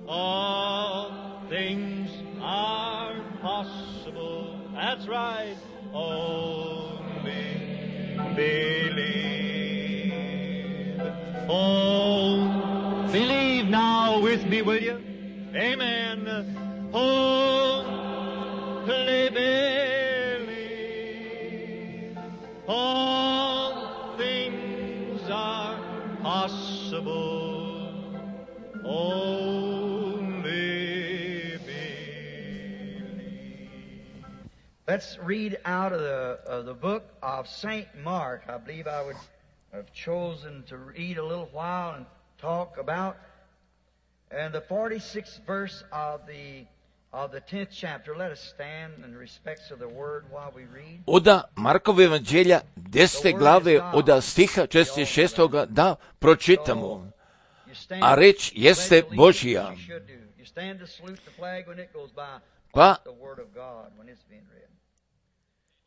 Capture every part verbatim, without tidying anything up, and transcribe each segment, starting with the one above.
All things are possible. That's right. Only believe. Oh, believe now with me, will you? Amen. Oh, believe. All things are possible. Only believe. Let's read out of the, of the book of Saint Mark. I believe I would have chosen to read a little while and talk about and the forty-sixth verse of the of the tenth chapter. Let us stand in respects of the word while we read. Oda Markova evanđelja desete glave od stiha četrdeset šestog da pročitamo. A reč jeste Božija. Pa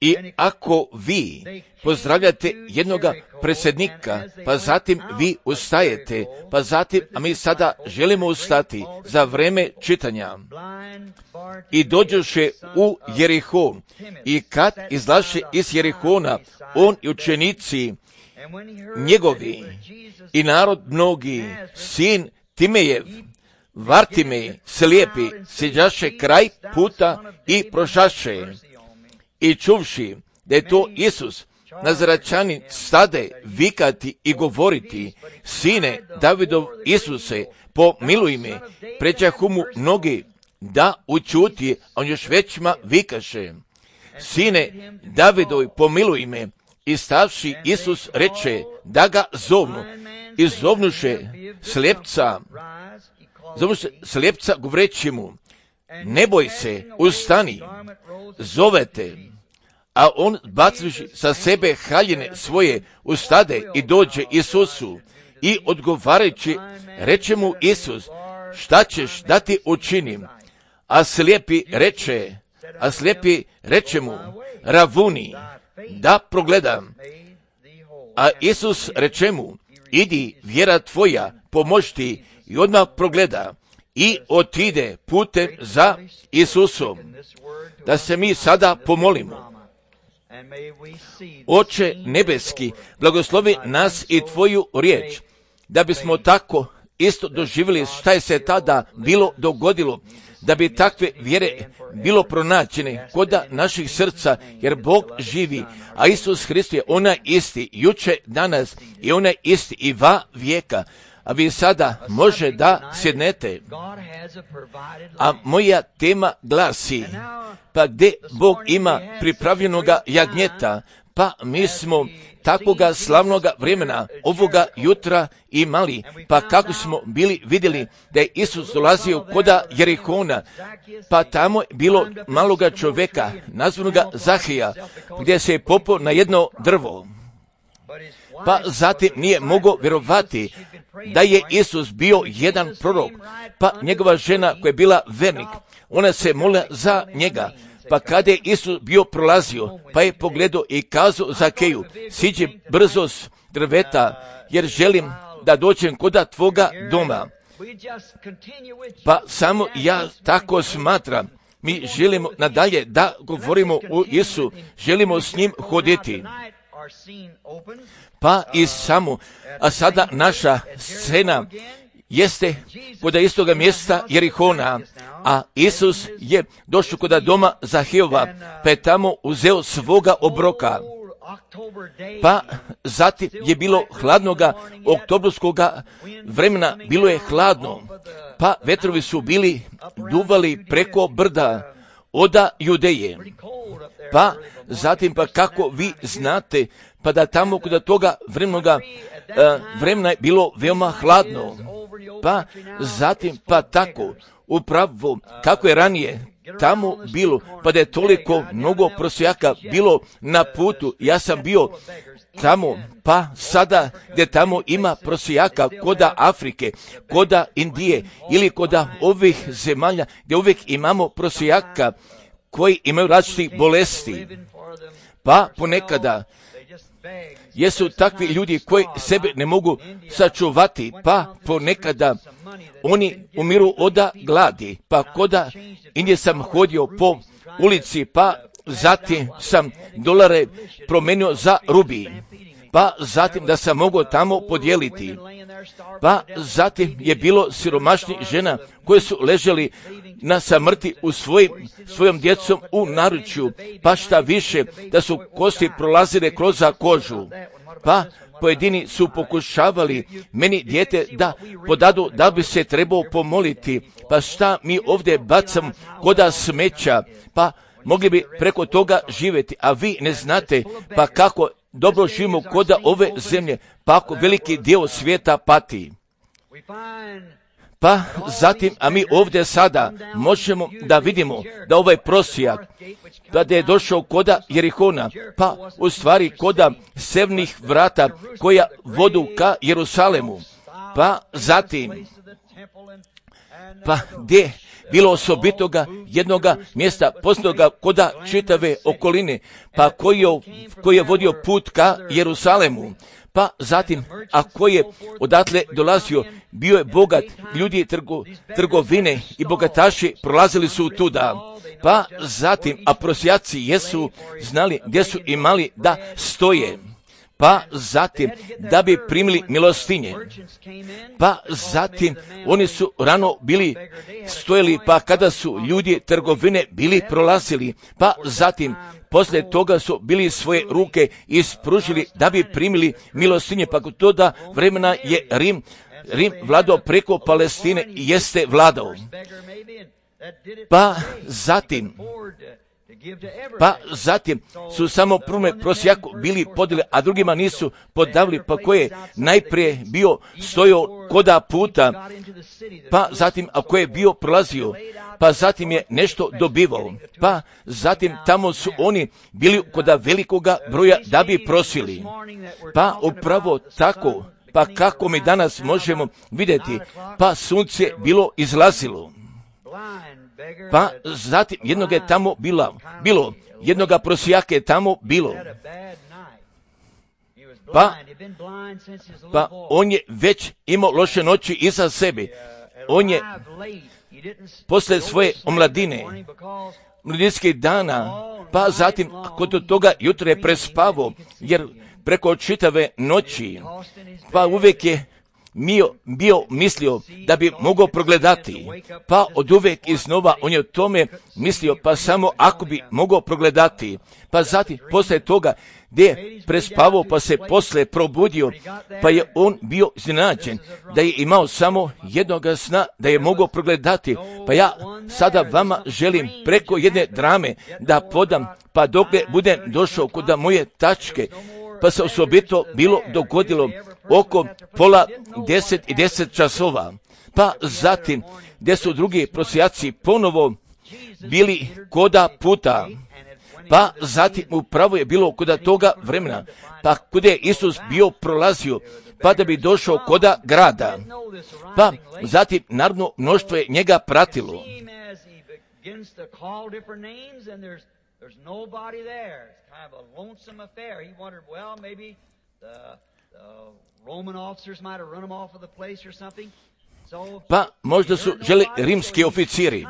i ako vi pozdravljate jednoga predsjednika, pa zatim vi ustajete, pa zatim, a mi sada želimo ustati za vreme čitanja. I dođoše u Jerihon, i kad izlaše iz Jerihona, on i učenici njegovi i narod mnogi, sin Timejev, Vartimej, slijepi, siđaše kraj puta i prošaše. I čuvši da je to Isus, Nazaračanin, stade vikati i govoriti: Sine Davidov Isuse, pomiluj me. Pređahu mu mnogi da učuti, a on još većma vikaše: Sine Davidov, pomiluj me. I stavši Isus reče da ga zovnu. I zovnuše slijepca, zovnuše slijepca govoreći mu: Ne boj se, ustani, zovete. A on, bacivši sa sebe haljine svoje, ustade i dođe Isusu. I odgovarajući, reče mu Isus: Šta ćeš da ti učinim? A slijepi reče, a slijepi reče mu: Ravuni, da progledam. A Isus reče mu: Idi, vjera tvoja pomoži ti. I odmah progleda i otide putem za Isusom. Da se mi sada pomolimo. Oče nebeski, blagoslovi nas i tvoju riječ, da bismo tako isto doživjeli šta je se tada bilo dogodilo, da bi takve vjere bilo pronađene koda naših srca, jer Bog živi, a Isus Hrist je onaj isti, juče, danas i onaj isti i va vijeka. A vi sada može da sjednete. A moja tema glasi: pa gdje Bog ima pripravljenoga jagnjeta, pa mi smo takvoga slavnoga vremena ovoga jutra imali, pa kako smo bili vidjeli da je Isus dolazio koda Jerihona, pa tamo je bilo maloga čovjeka, nazvanoga Zahija, gdje se je popao na jedno drvo. Pa zatim nije mogao vjerovati da je Isus bio jedan prorok, pa njegova žena koja je bila vernik, ona se molila za njega. Pa kada je Isus bio prolazio, pa je pogledao i kazao Zakeju: Siđi brzo s drveta, jer želim da dođem koda tvoga doma. Pa samo ja tako smatram, mi želimo nadalje da govorimo o Isu, želimo s njim hoditi. Pa i samo, a sada naša scena jeste kod istoga mjesta Jerihona, a Isus je došao kod doma Zahijova, pa je tamo uzeo svoga obroka. Pa zatim je bilo hladnoga oktobarskoga vremena, bilo je hladno, pa vetrovi su bili duvali preko brda oda Judeje. Pa zatim, pa kako vi znate, pa da tamo kod toga vremenoga uh, vremena je bilo veoma hladno. Pa zatim, pa tako, upravo kako je ranije tamo bilo, pa da je toliko mnogo prosjaka bilo na putu. Ja sam bio tamo, pa sada gdje tamo ima prosjaka koda Afrike, koda Indije ili koda ovih zemalja gdje uvijek imamo prosjaka koji imaju različitih bolesti. Pa ponekada jesu takvi ljudi koji sebe ne mogu sačuvati, pa ponekada oni umiru od gladi, pa koda indje sam hodio po ulici, pa zatim sam dolare promenio za rubi, pa zatim da sam mogao tamo podijeliti, pa zatim je bilo siromašnih žena koje su leželi na samrti u svojim, svojom djecom u naručju, pa šta više da su kosti prolazile kroz kožu, pa pojedini su pokušavali meni dijete da podadu da bi se trebao pomoliti, pa šta mi ovdje bacam koda smeća, pa mogli bi preko toga živjeti, a vi ne znate pa kako dobro živimo koda ove zemlje, pa ako veliki dio svijeta pati. Pa zatim, a mi ovdje sada možemo da vidimo da ovaj prosjak, da je došao koda Jerihona, pa u stvari koda sevnih vrata koja vodu ka Jerusalemu, pa zatim, pa gdje bilo osobitoga jednoga mjesta poznatoga koda čitave okoline, pa koji je, koji je vodio put ka Jerusalemu, pa zatim, a koji je odatle dolazio, bio je bogat, ljudi trgo, trgovine i bogataši prolazili su tuda, pa zatim, a prosjaci jesu znali gdje su imali da stoje, pa zatim da bi primili milostinje, pa zatim oni su rano bili stojali, pa kada su ljudi trgovine bili prolazili, pa zatim poslije toga su bili svoje ruke ispružili da bi primili milostinje, pa kod toga vremena je Rim, Rim vladao preko Palestine i jeste vladao. Pa zatim, Pa zatim su samo prvome prosjaku bili podijeli, a drugima nisu podavili, pa koje je najprije bio stojao koda puta, pa zatim a koje je bio prolazio, pa zatim je nešto dobivao, pa zatim tamo su oni bili koda velikoga broja da bi prosili. Pa upravo tako, pa kako mi danas možemo vidjeti, pa sunce bilo izlazilo. Pa zatim jednog je tamo bila, bilo, jednoga prosjaka je tamo bilo. Pa, pa on je već imao loše noći iza sebe. On je posle svoje omladine, mladinskih dana, pa zatim kod toga jutra je prespavao, jer preko čitave noći, pa uvijek je Mio, bio mislio da bi mogao progledati, pa od uvijek iznova on je o tome mislio, pa samo ako bi mogao progledati, pa zatim poslije toga gdje je prespavao, pa se poslije probudio, pa je on bio iznenađen da je imao samo jednoga sna da je mogao progledati. Pa ja sada vama želim preko jedne drame da podam, pa dok budem došao kod moje tačke, pa se osobito bilo dogodilo oko pola deset i deset časova, pa zatim gdje su drugi prosjaci ponovo bili koda puta, pa zatim upravo je bilo koda toga vremena, pa kuda je Isus bio prolazio, pa da bi došao koda grada, pa zatim narodno mnoštvo je njega pratilo. There's nobody there. It's kind of a lonesome affair. He wondered, well, maybe the, the Roman officers might have run him off of the place or something. So, pa možda su želi rimski oficiri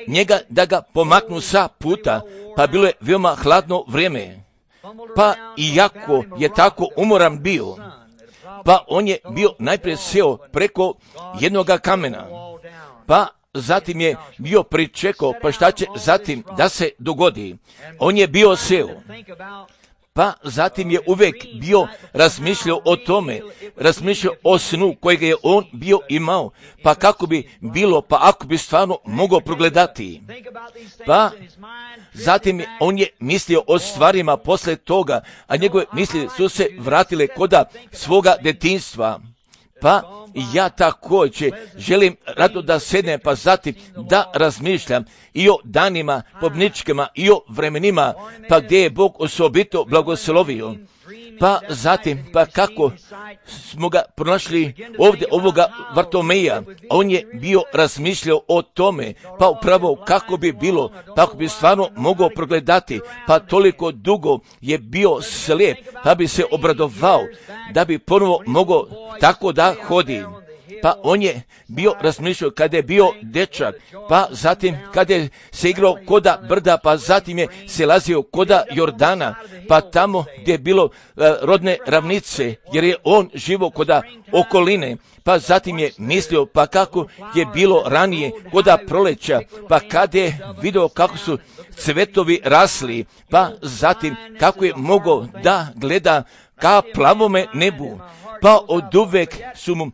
njega da ga pomaknu sa puta, pa bilo je veoma hladno vrijeme. Pa iako je tako umoran bio, pa on je bio najprije seo preko jednoga kamena, pa zatim je bio pričekao, pa šta će zatim da se dogodi. On je bio seo, pa zatim je uvijek bio razmišljao o tome, razmišljao o snu kojeg je on bio imao, pa kako bi bilo, pa ako bi stvarno mogao progledati. Pa zatim je, on je mislio o stvarima posle toga, a njegove misli su se vratile koda svoga detinjstva. Pa ja također želim rado da sednem, pa zatim da razmišljam i o danima pobničkima i o vremenima, pa gdje je Bog osobito blagoslovio. Pa zatim, pa kako smo ga pronašli ovdje, ovoga Vartomeja, on je bio razmišljao o tome, pa upravo kako bi bilo, pa ako bi stvarno mogao progledati, pa toliko dugo je bio slijep, pa bi se obradovao, da bi ponovo mogao tako da hodi. Pa on je bio razmišljao kada je bio dečak, pa zatim kada je se igrao koda brda, pa zatim je se lazio koda Jordana, pa tamo gdje je bilo uh, rodne ravnice, jer je on živo koda okoline, pa zatim je mislio pa kako je bilo ranije koda proleća, pa kada je vidio kako su cvetovi rasli, pa zatim kako je mogao da gleda ka plavome nebu, pa od uvek su mu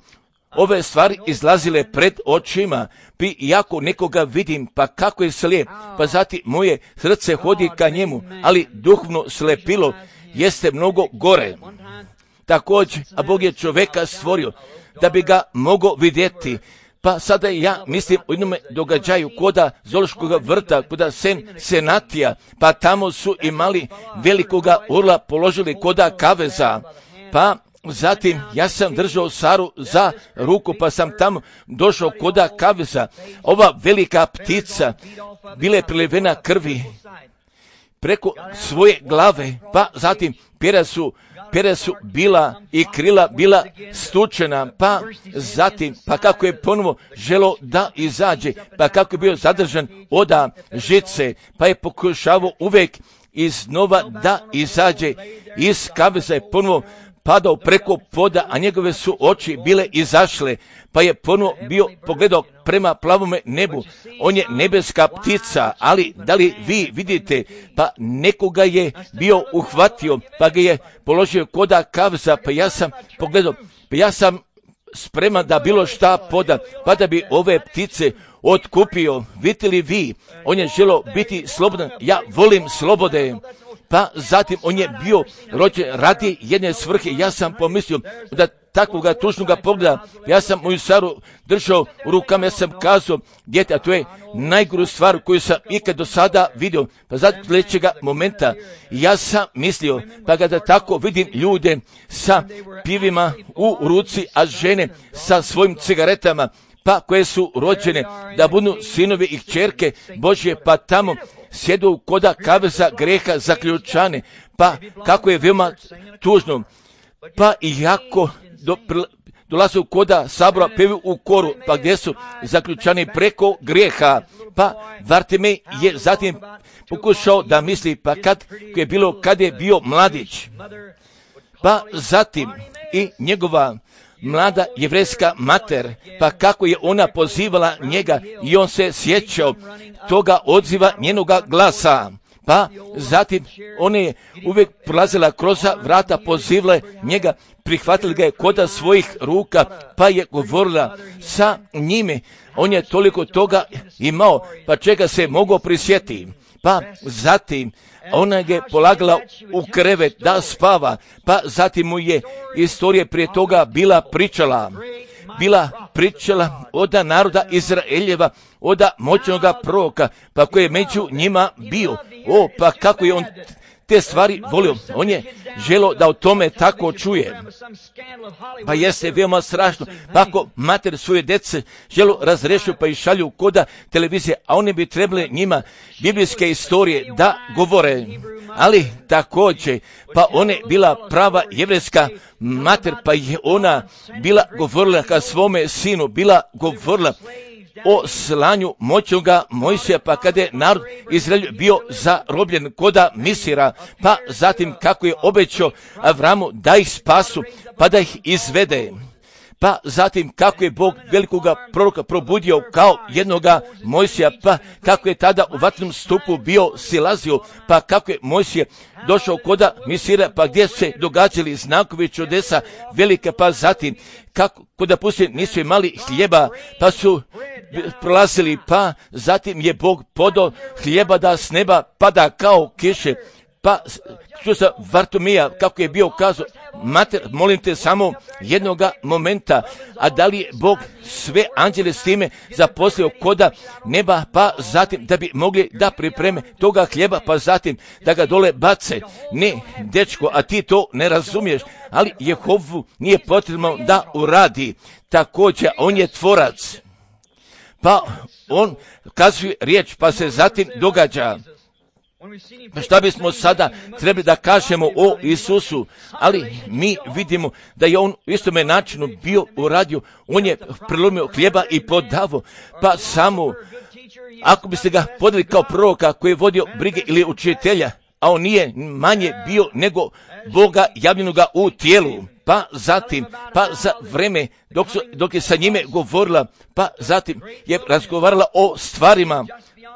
ove stvari izlazile pred očima, pi jako nekoga vidim, pa kako je slijep, pa zatim moje srce hodi ka njemu, ali duhovno slepilo jeste mnogo gore. Također, a Bog je čovjeka stvorio da bi ga mogao vidjeti. Pa sada ja mislim o jednom događaju koda Zoološkog vrta, koda sen, senatija, pa tamo su imali velikoga orla položili koda kaveza, pa zatim ja sam držao Saru za ruku, pa sam tamo došao koda kaveza. Ova velika ptica bila je prilivena krvi preko svoje glave, pa zatim pera su, pera su bila i krila bila stučena, pa zatim, pa kako je ponovo želo da izađe, pa kako je bio zadržan oda žice, pa je pokušavao uvek iznova da izađe iz kaveza, je ponovo padao preko poda, a njegove su oči bile izašle, pa je ponovo bio pogledao prema plavome nebu. On je nebeska ptica, ali da li vi vidite, pa nekoga je bio uhvatio, pa ga je položio koda kaveza, pa ja sam pogledao, pa ja sam spreman da bilo šta poda, pa da bi ove ptice otkupio. Vidite li vi, on je želio biti slobodan, ja volim slobode. Pa zatim on je bio rođen radi jedne svrhe. Ja sam pomislio da takvoga tužnoga pogleda, ja sam moju Saru držao u rukama, ja sam kazao, djete, a to je najgoru stvar koju sam ikad do sada vidio. Pa zatim sljedećega momenta ja sam mislio, pa kada tako vidim ljude sa pivima u ruci, a žene sa svojim cigaretama, pa koje su rođene da budu sinovi i kćerke Božje, pa tamo sjedu koda kaveza greha zaključane, pa kako je veoma tužno, pa i jako do, dolaze u koda sabora, pevi u koru, pa gdje su zaključani preko grijeha, pa Vartimej je zatim pokušao da misli, pa kad je bilo, kad je bio mladić, pa zatim i njegova mlada jevrejska mater, pa kako je ona pozivala njega i on se sjećao toga odziva njenoga glasa. Pa zatim ona je uvijek prolazila kroz vrata, pozivala njega, prihvatila ga je koda svojih ruka, pa je govorila sa njime. On je toliko toga imao, pa čega se mogao prisjetiti. Pa zatim ona je polagala u krevet da spava, pa zatim mu je istorija prije toga bila pričala. Bila pričala oda naroda Izraeljeva, oda moćnoga proroka, pa koji je među njima bio. O, pa kako je on te stvari volio. On je želio da o tome tako čuje. Pa jeste veoma strašno. Pa ako mater svoje djece želu razrešio pa i šalju koda televizije, a one bi trebali njima biblijske istorije da govore. Ali također, pa ona je bila prava jevrejska mater, pa je ona bila govorila ka svome sinu, bila govorila o slanju moćnoga Mojsija, pa kada je narod Izrael bio zarobljen koda Misira, pa zatim kako je obećao Avramu da ih spasu, pa da ih izvede. Pa zatim kako je Bog velikoga proroka probudio kao jednoga Mojsija, pa kako je tada u vatrenom stupu bio silazio, pa kako je Mojsije došao koda Misira, pa gdje se događali znakovi čudesa velike, pa zatim kako koda pustinje nisu imali hljeba, pa su prolazili, pa zatim je Bog podao hljeba da s neba pada kao kiše, Pa čuo sam Vartomija kako je bio kazao, mater, molim te samo jednoga momenta, a da li je Bog sve anđele s time zaposlio koda neba, pa zatim da bi mogli da pripreme toga hljeba, pa zatim da ga dole bace. Ne, dečko, a ti to ne razumiješ, ali Jehovu nije potrebno da uradi. Također, on je tvorac. Pa on kazuje riječ, pa se zatim događa. Šta bismo sada trebali da kažemo o Isusu, ali mi vidimo da je on u istome načinu bio uradio, on je prelomio hljeba i podavo, pa samo ako biste ga podali kao proroka koji je vodio brige ili učitelja, a on nije manje bio nego Boga javljenoga u tijelu, pa zatim, pa za vreme dok, su, dok je sa njime govorila, pa zatim je razgovarala o stvarima,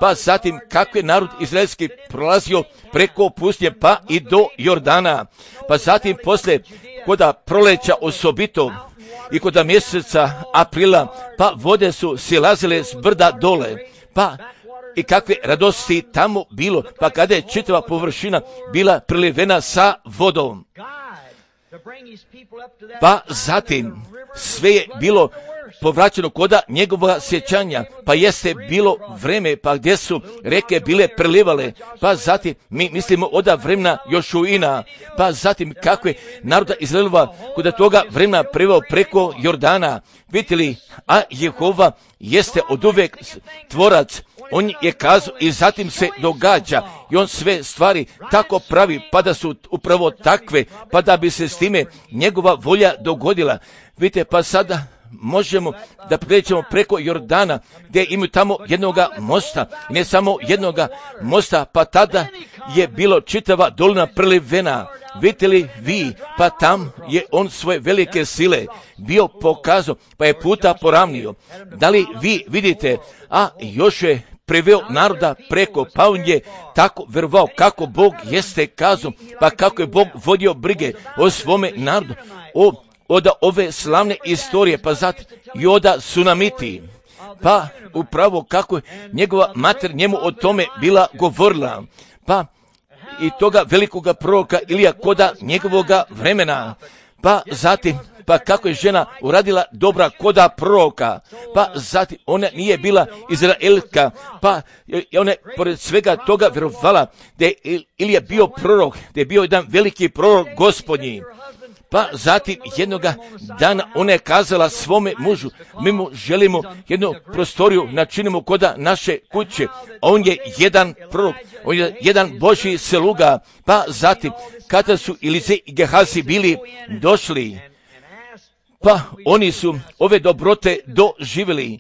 pa zatim kako je narod izraelski prolazio preko pustinje pa i do Jordana, pa zatim posle koda proleća osobito i koda mjeseca aprila, pa vode su silazile s brda dole, pa i kakve radosti tamo bilo, pa kada je čitava površina bila prelivena sa vodom. Pa zatim sve je bilo povraćeno koda njegova sjećanja, pa jeste bilo vreme, pa gdje su reke bile prelivale, pa zatim mi mislimo oda vremena Jošuina, pa zatim kako je naroda Izraelova koda toga vremena preveo preko Jordana, vidjeli, a Jehova jeste oduvek tvorac, on je kazao i zatim se događa i on sve stvari tako pravi, pa da su upravo takve, pa da bi se s time njegova volja dogodila. Vidite, pa sada možemo da pređemo preko Jordana gdje imaju tamo jednoga mosta, ne samo jednoga mosta, pa tada je bilo čitava dolina prelivena. Vidite li vi, pa tam je on svoje velike sile bio pokazao, pa je puta poravnio. Da li vi vidite, a još je preveo naroda preko, pa on je tako verovao kako Bog jeste kazao, pa kako je Bog vodio brige o svome narodu, o oda ove slavne istorije, pa zatim i oda Sunamiti, pa upravo kako je njegova mater njemu o tome bila govorila, pa i toga velikoga proroka Ilija koda njegovoga vremena, pa zatim pa kako je žena uradila dobra koda proroka, pa zatim ona nije bila Izraelka, pa ona je pored svega toga vjerovala da je Ilija bio prorok, da je bio jedan veliki prorok Gospodnji. Pa zatim jednoga dana ona je kazala svome mužu, mi mu želimo jednu prostoriju načinimo koda naše kuće, a on je jedan prorok, on je jedan Božji sluga. Pa zatim kada su Elize i Gehazi bili došli, pa oni su ove dobrote doživjeli.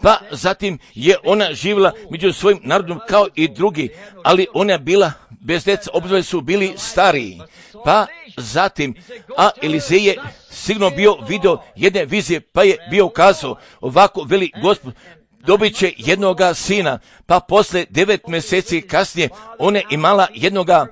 Pa zatim je ona živjela među svojim narodom kao i drugi, ali ona je bila bez djeca, obzove su bili stariji. Pa zatim, a Elizej je sigurno bio video jedne vizije, pa je bio kazao, ovako veli Gospod, dobit će jednoga sina, pa posle devet mjeseci kasnije ona je imala jednoga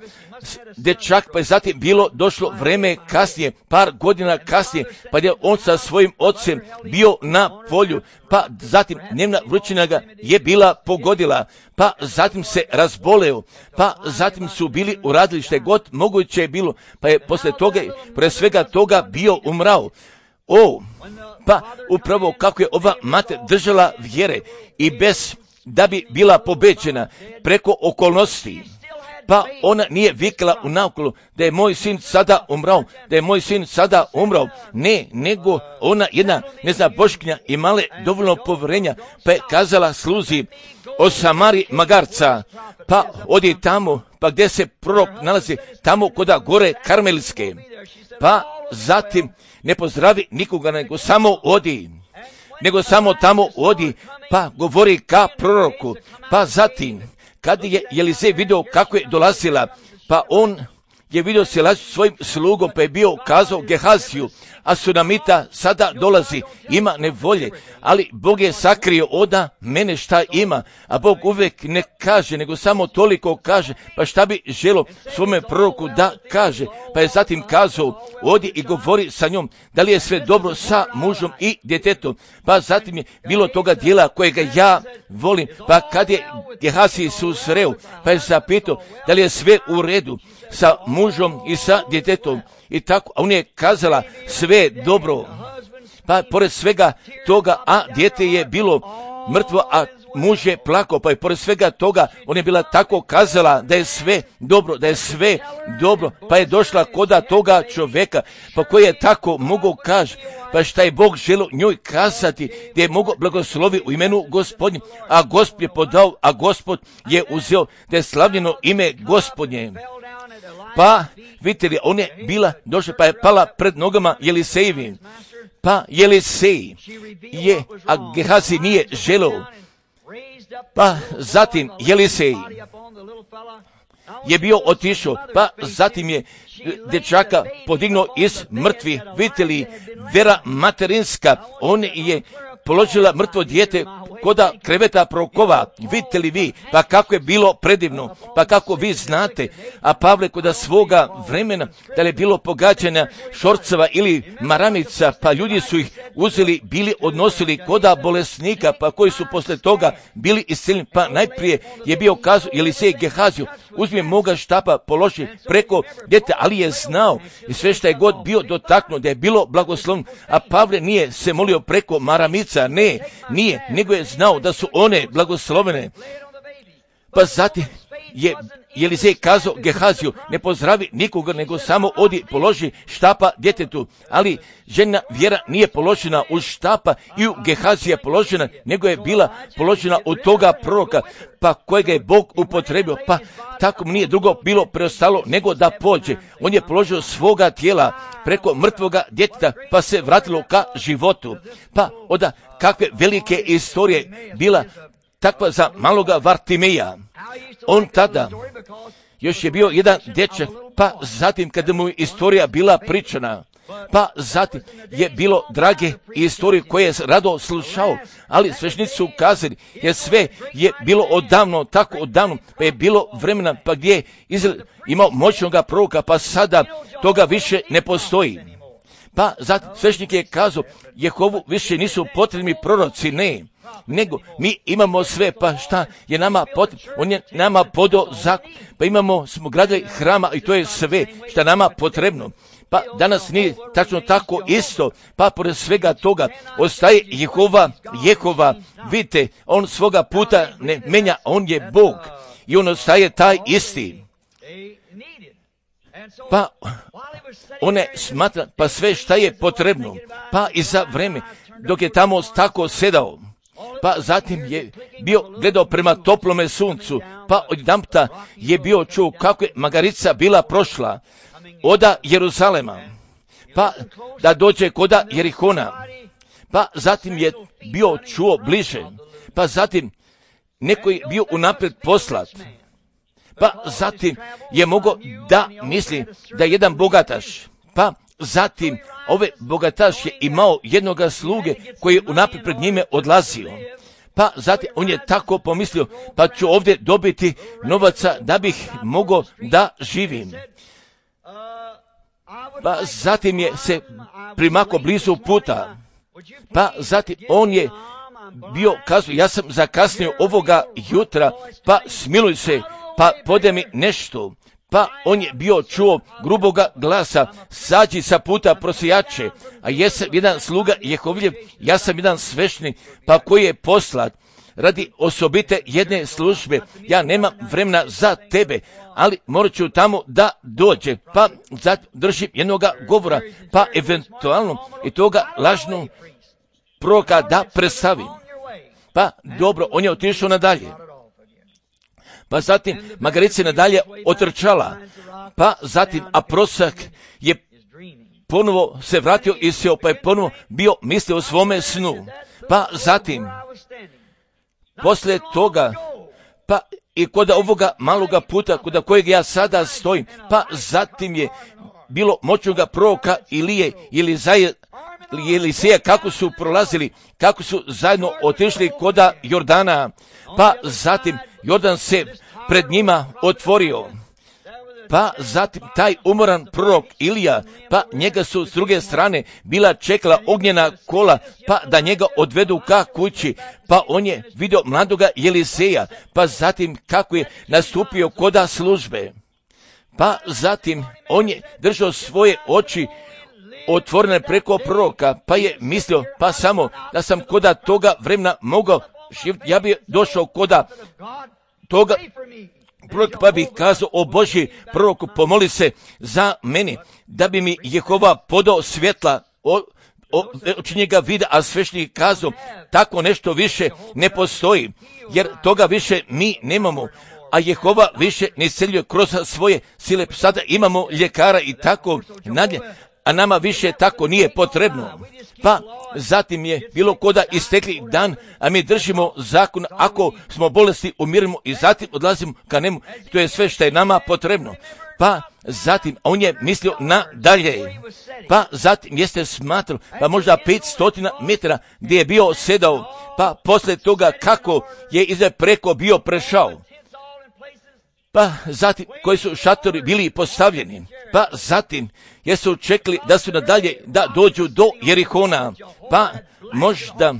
dečak, pa je zatim bilo došlo vreme kasnije, par godina kasnije, pa je on sa svojim ocem bio na polju, pa zatim dnevna vrućina ga je bila pogodila, pa zatim se razboleo, pa zatim su bili uradili što je god moguće je bilo, pa je posle toga, pre svega toga bio umrao. O, pa upravo kako je ova mater držala vjere i bez da bi bila pobeđena preko okolnosti, pa ona nije vikala u naokolo da je moj sin sada umrao, da je moj sin sada umrao. Ne, nego ona jedna, ne zna, boškinja imala dovoljno povjerenja, pa je kazala sluzi o Samari magarca, pa odi tamo, pa gdje se prorok nalazi, tamo koda gore Karmelske, pa zatim ne pozdravi nikoga, nego samo odi, nego samo tamo odi, pa govori ka proroku, pa zatim kad je Elizej vidio kako je dolazila, pa on je vidio Silas svojim slugom, pa je bio kazao Gehaziju, a Sunamita sada dolazi, ima nevolje, ali Bog je sakrio oda mene šta ima, a Bog uvijek ne kaže, nego samo toliko kaže, pa šta bi želo svome proroku da kaže, pa je zatim kazao, odi i govori sa njom, da li je sve dobro sa mužom i djetetom, pa zatim je bilo toga dijela kojega ja volim, pa kad je Gehaziji susreo, pa je zapitao, da li je sve u redu sa mužom i sa djetetom, i tako, a on je kazala sve dobro, pa pored svega toga, a dijete je bilo mrtvo, a muž je plakao, pa je pored svega toga, on je bila tako kazala da je sve dobro, da je sve dobro, pa je došla koda toga čovjeka, pa koji je tako mogao kaže, pa šta je Bog želio njoj kazati, gdje je mogao blagoslovi u imenu Gospodnje, a Gospod je podao, a Gospod je uzeo, da je slavljeno ime Gospodnje. Pa, vidite li, on je bila došla, pa je pala pred nogama Jelisejevim. Pa Jelisej je, a Gehazi nije želeo. Pa zatim Jelisej je bio otišao, pa zatim je dječaka podignuo iz mrtvi. Vidite li, vera materinska, on je položila mrtvo dijete koda kreveta prokova, vidite li vi, pa kako je bilo predivno, pa kako vi znate, a Pavle koda svoga vremena, da li je bilo pogađanja šorceva ili maramica, pa ljudi su ih uzeli, bili odnosili koda bolesnika, pa koji su posle toga bili isceljeni, pa najprije je bio kazao Jelisej Gehaziju, uzmi moga štapa, položi preko djete, ali je znao i sve što je god bio dotaknuo, da je bilo blagoslovno, a Pavle nije se molio preko maramica, ne, nije, nego je znao da su one blagoslovene. Pa zatim je Jelisej kazao Gehaziju, ne pozdravi nikoga, nego samo odi položi štapa djetetu. Ali žena vjera nije položena u štapa i u Gehazija položena, nego je bila položena od toga proroka, pa kojega je Bog upotrebio, pa tako mu nije drugo bilo preostalo nego da pođe. On je položio svoga tijela preko mrtvoga djeteta, pa se vratilo ka životu. Pa onda kakve velike istorije bila takva za maloga Vartimeja. On tada još je bio jedan dječak, pa zatim kada mu istorija bila pričana, pa zatim je bilo drage istorije koje je rado slušao, ali sveštenici su kazali, jer sve je bilo odavno, tako odavno, pa je bilo vremena, pa gdje je Izrael imao moćnoga proroka, pa sada toga više ne postoji. Pa zatim sveštenik je kazao, Jehovu više nisu potrebni proroci, ne, nego mi imamo sve, pa šta je nama potrebno, on je nama podao zakon, pa imamo, smo gradili hrama i to je sve šta nama potrebno. Pa danas nije tačno tako isto, pa pored svega toga ostaje Jehova, Jehova, vidite, on svoga puta ne menja, on je Bog i on ostaje taj isti. Pa one smatra, pa sve šta je potrebno, pa i za vreme, dok je tamo tako sedao, pa zatim je bio gledao prema toplome suncu, pa odjedanputa je bio čuo kako je magarica bila prošla oda Jeruzalema, pa da dođe koda Jerihona, pa zatim je bio čuo bliže, pa zatim neko je bio unaprijed poslat, pa zatim je mogao da misli da je jedan bogataš, pa zatim ove bogataš je imao jednoga sluge koji je unaprijed pred njime odlazio. Pa zatim on je tako pomislio, pa ću ovdje dobiti novaca da bih mogao da živim. Pa zatim je se primako blizu puta, pa zatim on je bio kazao, ja sam zakasnio ovoga jutra, pa smiluj se, pa pode mi nešto. Pa on je bio čuo gruboga glasa, sađi sa puta prosijače, a jesam jedan sluga Jehovljev, ja sam jedan sveštenik, pa koji je poslat radi osobite jedne službe, ja nemam vremena za tebe, ali morat ću tamo da dođe, pa držim jednoga govora, pa eventualno i toga lažnog proroka da predstavim. Pa dobro, on je otišao nadalje. Pa zatim magarica nadalje otrčala, pa zatim a prosak je ponovo se vratio i seo, pa je ponovo bio mislio o svome snu. Pa zatim, posle toga, pa i kod ovoga maloga puta kod kojeg ja sada stojim, pa zatim je bilo moćnoga proroka Ilije ili Zaje Eliseja, kako su prolazili, kako su zajedno otišli koda Jordana, pa zatim Jordan se pred njima otvorio. Pa zatim taj umoran prorok Ilija, pa njega su s druge strane bila čekala ognjena kola, pa da njega odvedu ka kući, pa on je vidio mladoga Eliseja, pa zatim kako je nastupio koda službe. Pa zatim on je držao svoje oči otvorene preko proroka, pa je mislio, pa samo da sam koda toga vremena mogao živjeti, ja bi došao koda toga prorok, pa bih kazao, o Božji proroku, pomoli se za meni, da bi mi Jehova podao svjetla, o, o, oči njega vida, a svešnik kazao, tako nešto više ne postoji, jer toga više mi nemamo, a Jehova više ne isceljuje kroz svoje sile, sada imamo ljekara i tako nadje, a nama više tako nije potrebno. Pa zatim je bilo koda istekli dan, a mi držimo zakon, ako smo bolesti umirimo i zatim odlazimo ka njemu, to je sve što je nama potrebno. Pa zatim on je mislio na dalje, pa zatim jeste smatrao, pa možda petstotina metara gdje je bio sedao, pa posle toga kako je iza preko bio prešao. Pa zatim koji su šatori bili postavljeni, pa zatim jesu čekali da su nadalje da dođu do Jerihona, pa možda,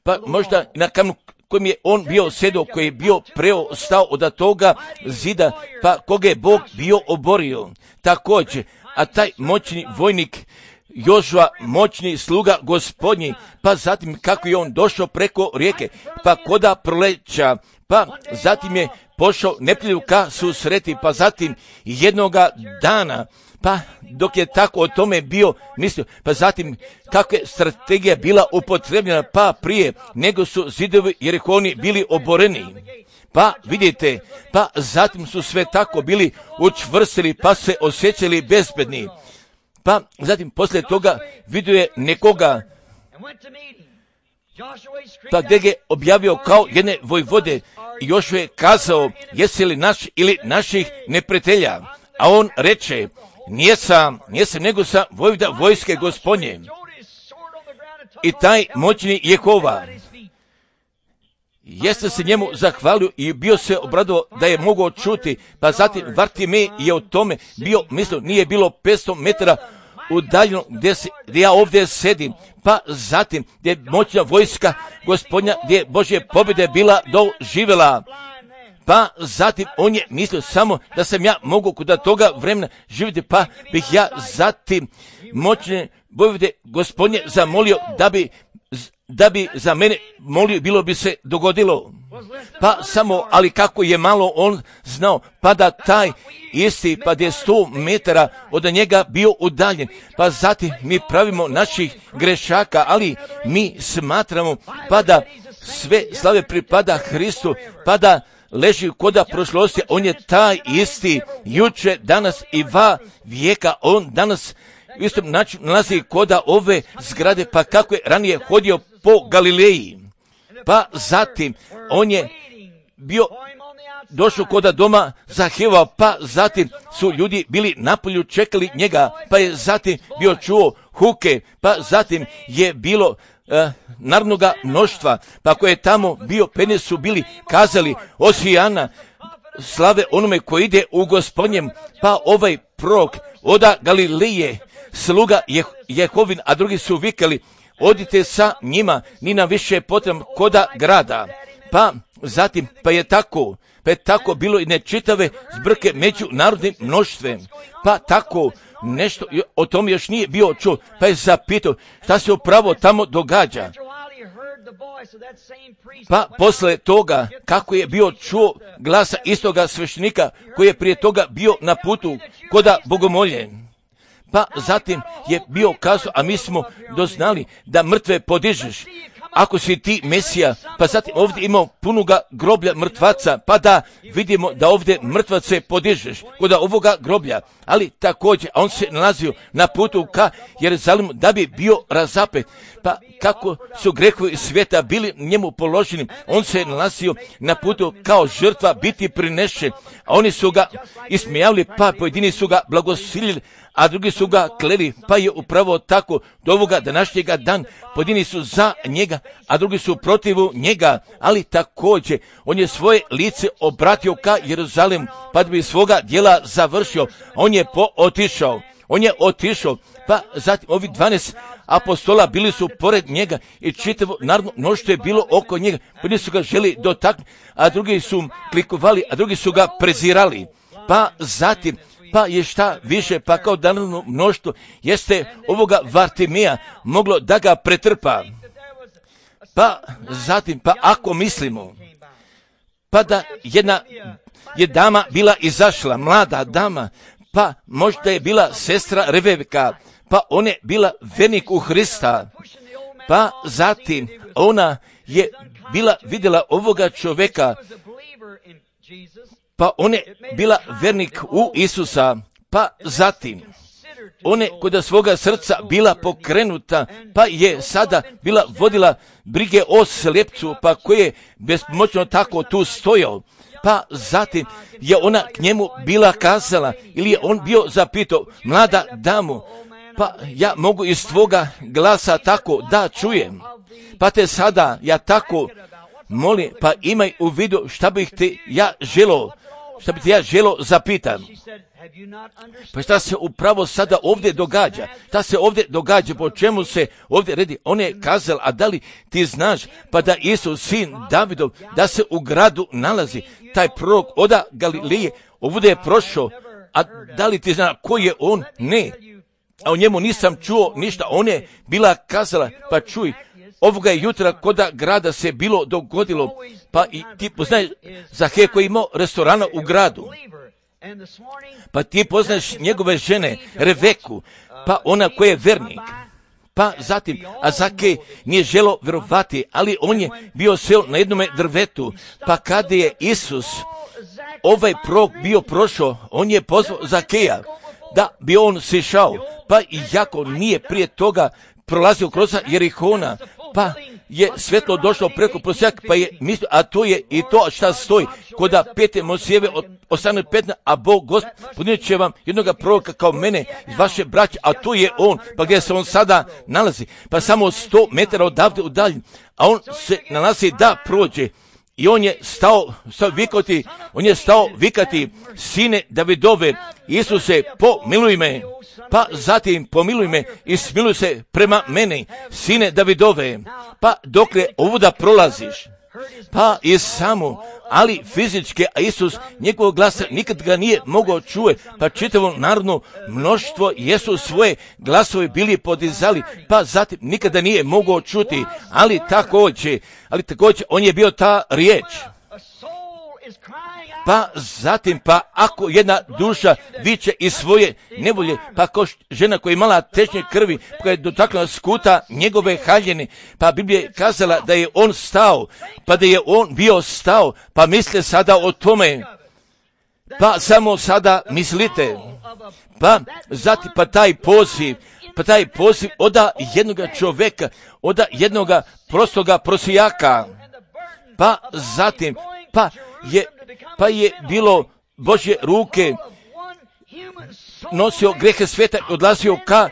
pa možda na kamenu kojim je on bio sedao, koji je bio preostao od toga zida, pa koga je Bog bio oborio. Također, a taj moćni vojnik Jožua, moćni sluga Gospodnji, pa zatim kako je on došao preko rijeke, pa koda proleća, pa zatim je pošao neprijatelju ka susreti, pa zatim jednoga dana, pa dok je tako o tome bio mislio, pa zatim kako je strategija bila upotrebljena, pa prije nego su zidovi Jerihoni bili oboreni. Pa vidite, pa zatim su sve tako bili učvrstili, pa se osjećali bezbedni. Pa zatim poslije toga vidio je nekoga, pa gdje je objavio kao jedne vojvode, i još je kazao, jesi li naš ili naših neprijatelja? A on reče, nije sam, nije sam, nego sam vojvoda vojske Gospodnje. I taj moćni Jehova jeste se njemu zahvalio i bio se obradovao da je mogao čuti, pa zatim Vartimej je o tome bio, mislio, nije bilo petsto metara udaljeno gdje, se, gdje ja ovdje sedim, pa zatim gdje je moćna vojska Gospodnja, gdje je Božje pobjede bila doživjela. Pa zatim on je mislio samo da sam ja mogu kod toga vremena živjeti, pa bih ja zatim moćne vojvode Gospodnje zamolio da bi, da bi za mene molio, bilo bi se dogodilo. Pa samo, ali kako je malo on znao, pa da taj isti, pa da je sto metara od njega bio udaljen, pa zatim mi pravimo naših grešaka, ali mi smatramo, pa da sve slave pripada Hristu, pa da leži koda prošlosti, on je taj isti, juče, danas i va vijeka, on danas u istom načinu nalazi koda ove zgrade, pa kako je ranije hodio po Galileji. Pa zatim on je bio došao koda doma Zaheva, pa zatim su ljudi bili napolju, čekali njega, pa je zatim bio čuo huke, pa zatim je bilo uh, narodnoga mnoštva, pa koje je tamo bio, pene su bili kazali, Osijana, slave onome koji ide u Gospodnjem, pa ovaj prorok oda Galileje, sluga Je- Jehovin, a drugi su vikali, odite sa njima, ni nam više potrebno koda grada. Pa zatim, pa je tako, pa je tako bilo i nečitave zbrke među narodnim mnoštvem. Pa tako nešto o tome još nije bio čuo, pa je zapitao šta se upravo tamo događa. Pa posle toga, kako je bio čuo glasa istoga sveštenika koji je prije toga bio na putu koda bogomoljen. Pa zatim je bio kazao, a mi smo doznali da mrtve podižeš. ako si ti Mesija, pa zatim ovdje imamo punoga groblja mrtvaca, pa da vidimo da ovdje mrtvace podižeš kod ovoga groblja, ali također on se nalazio na putu ka Jeruzalemu da bi bio razapet, pa kako su grehovi svijeta bili njemu položeni, on se nalazio na putu kao žrtva biti prinešen, a oni su ga ismijavili, pa pojedini su ga blagosilili, a drugi su ga kleli, pa je upravo tako do ovoga današnjega dan, pojedini su za njega, a drugi su protivu njega, ali također on je svoje lice obratio ka Jeruzalemu, pa da bi svoga djela završio, on je pootišao, on je otišao, pa zatim ovi dvanaest apostola bili su pored njega i čitavo narodno mnoštvo je bilo oko njega, pojedini su ga želi dotaknuti, a drugi su klikovali, a drugi su ga prezirali, pa zatim pa je šta više, pa kao danovno mnoštvo jeste ovoga Vartimija moglo da ga pretrpa. Pa zatim, pa ako mislimo, pa da jedna je dama bila izašla, mlada dama, pa možda je bila sestra Rebeka, pa ona je bila vernik u Hrista, pa zatim ona je bila vidjela ovoga čovjeka, pa ona je bila vernik u Isusa, pa zatim ona je kod svoga srca bila pokrenuta, pa je sada bila vodila brige o slijepcu, pa koji je bespomoćno tako tu stojao, pa zatim je ona k njemu bila kazala, ili je on bio zapitao, mlada damu, pa ja mogu iz tvoga glasa tako da čujem, pa te sada ja tako molim, pa imaj u vidu šta bih te ja želo, šta bih te ja želo zapitam. Pa šta se upravo sada ovdje događa? Šta se ovdje događa? Po čemu se ovdje redi? On je kazal, a da li ti znaš pa da Isus, sin Davidov, da se u gradu nalazi taj prorok od Galilije, ovdje je prošao, a da li ti znaš ko je on? Ne. A o njemu nisam čuo ništa. On je bila kazala, pa čuj, ovoga je jutra koda grada se bilo dogodilo, pa i ti poznaješ Zahej koji je imao restorana u gradu, pa ti poznaješ njegove žene Reveku, pa ona koja je vernik, pa zatim, a Zahej nije želo vjerovati, ali on je bio seo na jednome drvetu, pa kada je Isus, ovaj prorok bio prošao, on je pozvao Zaheja da bi on sišao, pa i jako nije prije toga prolazio kroz Jerihona, pa je svjetlo došlo preko prosjaka, pa je mislio, a to je i to šta stoji, koda pete Mosijeve od osamnaest petnaest, a Bog Gospod podnijet će vam jednoga proroka kao mene iz vaše braće, a to je on, pa gdje se on sada nalazi, pa samo sto metara odavde udaljen, a on se nalazi da prođe. I on je stao, stao vikati, on je stao vikati, sine Davidove, Isuse, pomiluj me, pa zatim pomiluj me i smiluj se prema meni, sine Davidove, pa dokle ovuda prolaziš, pa i samo, ali fizičke, a Isus njegovog glasa nikad ga nije mogao čuje, pa čitavo narodno mnoštvo jesu svoje glasove bili podizali, pa zatim nikada nije mogao čuti, ali također, ali također on je bio ta riječ. Pa zatim, pa ako jedna duša viče iz svoje nevolje, pa kao žena koja je imala tečnje krvi, koja je dotakla skuta njegove haljine, pa Biblija je kazala da je on stao, pa da je on bio stao, pa misle sada o tome, pa samo sada mislite, pa zatim, pa taj poziv, pa taj poziv oda jednoga čovjeka, oda jednoga prostoga prosijaka, pa zatim, pa je, pa je bilo Božje ruke, nosio grehe svijeta i odlazio ka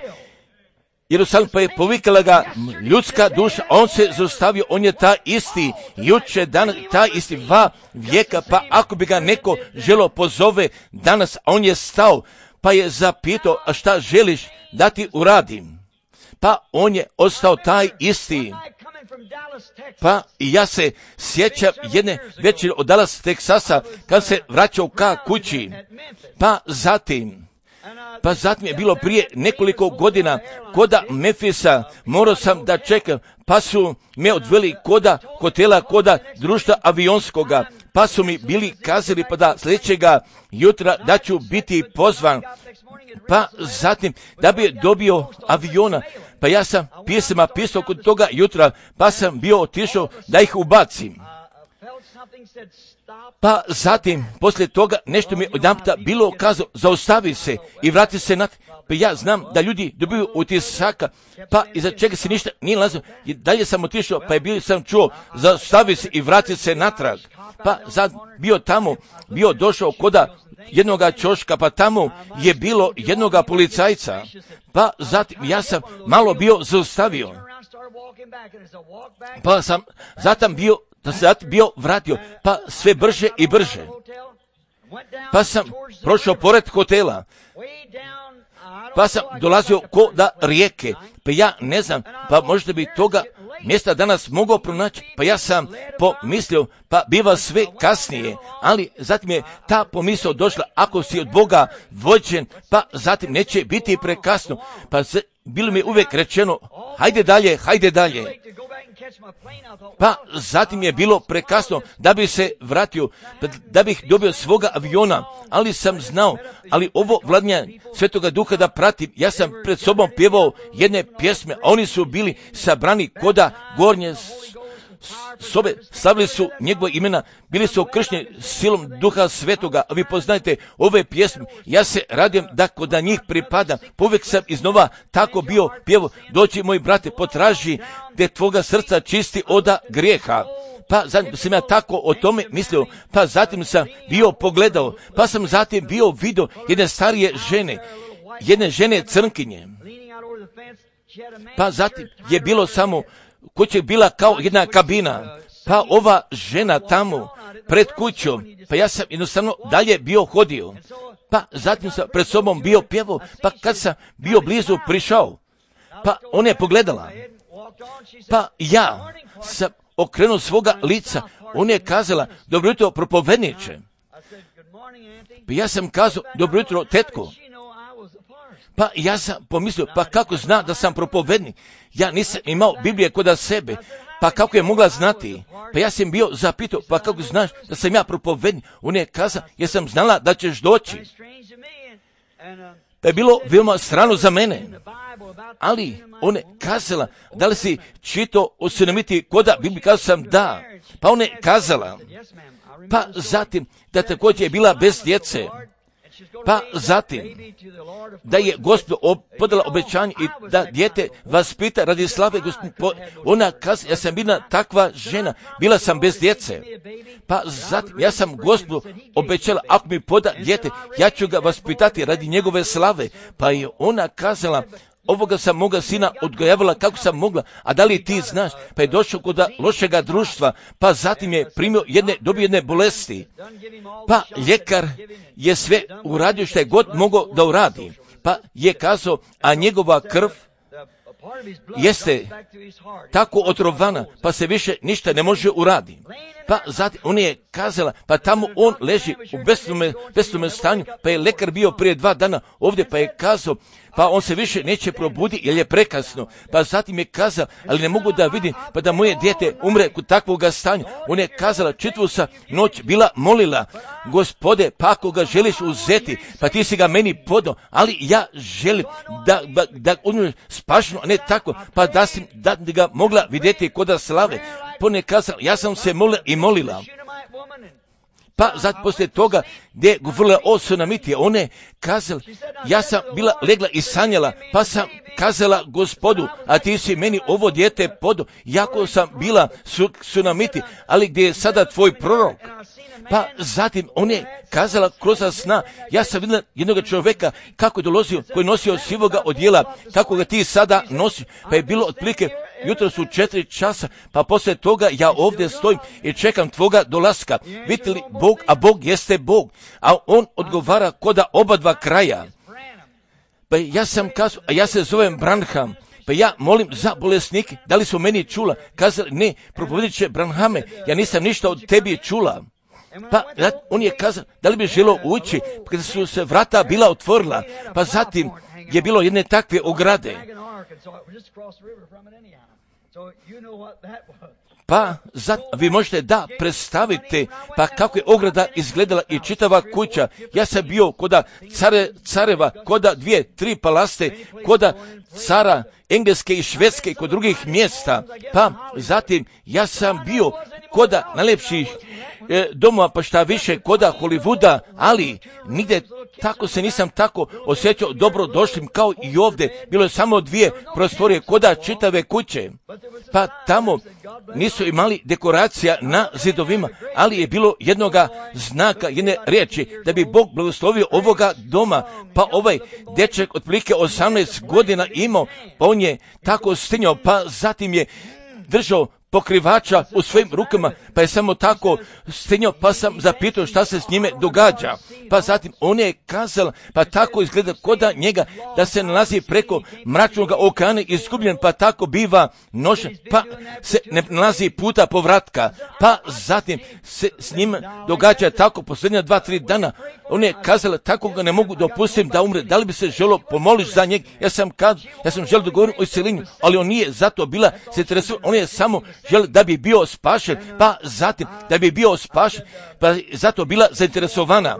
Jerusalim, pa je povikala ga ljudska duša, on se zaustavio, on je ta isti, juče, danas, ta isti dva vijeka, pa ako bi ga neko želo pozove danas, a on je stao, pa je zapitao, a šta želiš da ti uradim? Pa on je ostao taj isti. Pa ja se sjećam jedne večeri od Dallas, Teksasa, kad se vraćao ka kući, pa zatim, Pa zatim je bilo prije nekoliko godina koda Memfisa, morao sam da čekam, pa su me odveli koda hotela, koda društva avionskoga, pa su mi bili kazali pa da sljedećega jutra da ću biti pozvan, pa zatim da bi dobio aviona, pa ja sam pjesama pisao kod toga jutra, pa sam bio otišao da ih ubacim. Pa zatim, poslije toga, nešto mi je odjedanputa bilo kazao, zaustavi se i vrati se natrag. Pa ja znam da ljudi dobiju utisaka, pa iza čega se ništa nije nalazio. I dalje sam otišao, pa je bio sam čuo, zaustavi se i vrati se natrag. Pa sad bio tamo, bio došao koda jednoga čoška, pa tamo je bilo jednoga policajca. Pa zatim ja sam malo bio zaustavio. Pa sam zatim bio da se zatim bio vratio, pa sve brže i brže. Pa sam prošao pored hotela, pa sam dolazio ko da rijeke, pa ja ne znam, pa možda bi toga mjesta danas mogao pronaći, pa ja sam pomislio, pa biva sve kasnije, ali zatim je ta pomisao došla, ako si od Boga vođen, pa zatim neće biti prekasno, pa se, bilo mi uvijek rečeno, hajde dalje, hajde dalje. Pa zatim je bilo prekasno da bi se vratio, da bih dobio svoga aviona, ali sam znao, ali ovo vladanje Svetoga Duha da pratim, ja sam pred sobom pjevao jedne pjesme, a oni su bili sabrani koda gornje sobe, slavili su njegove imena, bili su okršteni silom Duha Svetoga, a vi poznajete ove pjesme, ja se radim da kod da njih pripadam, povijek sam iznova tako bio pjevo, doći moji brate, potraži te tvoga srca čisti oda grijeha. Pa zatim sam ja tako o tome mislio, pa zatim sam bio pogledao, pa sam zatim bio vidio jedne starije žene, jedne žene crnkinje, pa zatim je bilo samo kuća je bila kao jedna kabina, pa ova žena tamo pred kućom, pa ja sam jednostavno dalje bio hodio, pa zatim sam pred sobom bio pjevao, pa kad sam bio blizu prišao, pa ona je pogledala, pa ja sam okrenuo svoga lica, ona je kazala, dobro jutro propovedniče, pa ja sam kazao, dobro jutro tetko. Pa ja sam pomislio, pa kako zna da sam propovednik? Ja nisam imao Biblije kod sebe, pa kako je mogla znati? Pa ja sam bio zapitao, pa kako znaš da sam ja propovednik? Ona je kazala, jer sam znala da ćeš doći. Pa je bilo veoma strano za mene. Ali ona je kazala, da li si čitao o Sunamiti koda Biblije? Kazao sam da. Pa ona je kazala, pa zatim da također je bila bez djece. Pa zatim, da je Gospod podala obećanje i da dijete vaspita radi slave Gospod. Ona kaže, ja sam bila takva žena, bila sam bez djece. Pa zatim, ja sam Gospodu obećala, ako mi poda dijete, ja ću ga vaspitati radi njegove slave. Pa je ona kazala, ovoga sam moga sina odgojavala kako sam mogla, a da li ti znaš? Pa je došao kod lošega društva, pa zatim je primio jedne, dobio jedne bolesti. Pa ljekar je sve uradio što je god mogao da uradi. Pa je kazao, a njegova krv jeste tako otrovana, pa se više ništa ne može uraditi. Pa zatim on je kazala, pa tamo on leži u besnome stanju, pa je lekar bio prije dva dana ovdje, pa je kazao, pa on se više neće probudi jer je prekasno. Pa zatim je kazao, ali ne mogu da vidim, pa da moje dijete umre kod takvog stanja. On je kazala, čitvu sa noć bila molila, Gospode, pa ako ga želiš uzeti, pa ti si ga meni podao, ali ja želim da, da, da on spašeno, a ne tako, pa da si da ga mogla vidjeti koda slave. Pa ne kazala, ja sam se molila i molila. Pa zato poslije toga gdje je govorila o Sunamiti, ona je kazala, ja sam bila legla i sanjala, pa sam kazala Gospodu, a ti si meni ovo dijete podao, jako sam bila su, Sunamiti, ali gdje je sada tvoj prorok? Pa zatim on je kazala kroz sna, ja sam vidjela jednog čovjeka kako je dolazio, koji je nosio sivoga odjela, kako ga ti sada nosi, pa je bilo otprilike jutro su četiri časa, pa poslije toga ja ovdje stojim i čekam tvoga dolaska. Vidite li Bog, a Bog jeste Bog, a on odgovara koda oba dva kraja. Pa ja sam kazao, a ja se zovem Branham, pa ja molim za bolesnike, da li su meni čula? Kazali, ne, propovedit će Branhame, ja nisam ništa od tebi čula. Pa on je kazao, da li bi želio ući, kada su se vrata bila otvorila, pa zatim je bilo jedne takve ograde. Pa zat, vi možete da predstavite pa kako je ograda izgledala i čitava kuća. Ja sam bio koda care, careva, koda dvije, tri palaste, koda cara Engleske i Švedske i kod drugih mjesta. Pa zatim ja sam bio koda najljepših e, domova, pa šta više koda Hollywooda, ali nigdje tako se nisam tako osjećao dobro došlim kao i ovdje. Bilo je samo dvije prostorije koda čitave kuće. Pa tamo nisu imali dekoracija na zidovima, ali je bilo jednoga znaka, jedne riječi, da bi Bog blagoslovio ovoga doma. Pa ovaj dečak otprilike osamnaest godina imao, pa on je tako stinjao, pa zatim je držao pokrivača u svojim rukama, pa je samo tako stinjao, pa sam zapitao šta se s njime događa. Pa zatim on je kazao, pa tako izgleda koda njega da se nalazi preko mračnog okeana izgubljen, pa tako biva nošen, pa se ne nalazi puta povratka. Pa zatim se s njim događa tako posljednja dva, tri dana. On je kazao, tako ga ne mogu dopustiti da umre, da li bi se želio pomoliš za njeg. Ja sam kazao, ja sam želio da govorim o isceljenju, ali on nije zato bila se interesuo, on je samo želio da bi bio spašen, pa zatim da bi bio spašen, pa zato bila zainteresovana.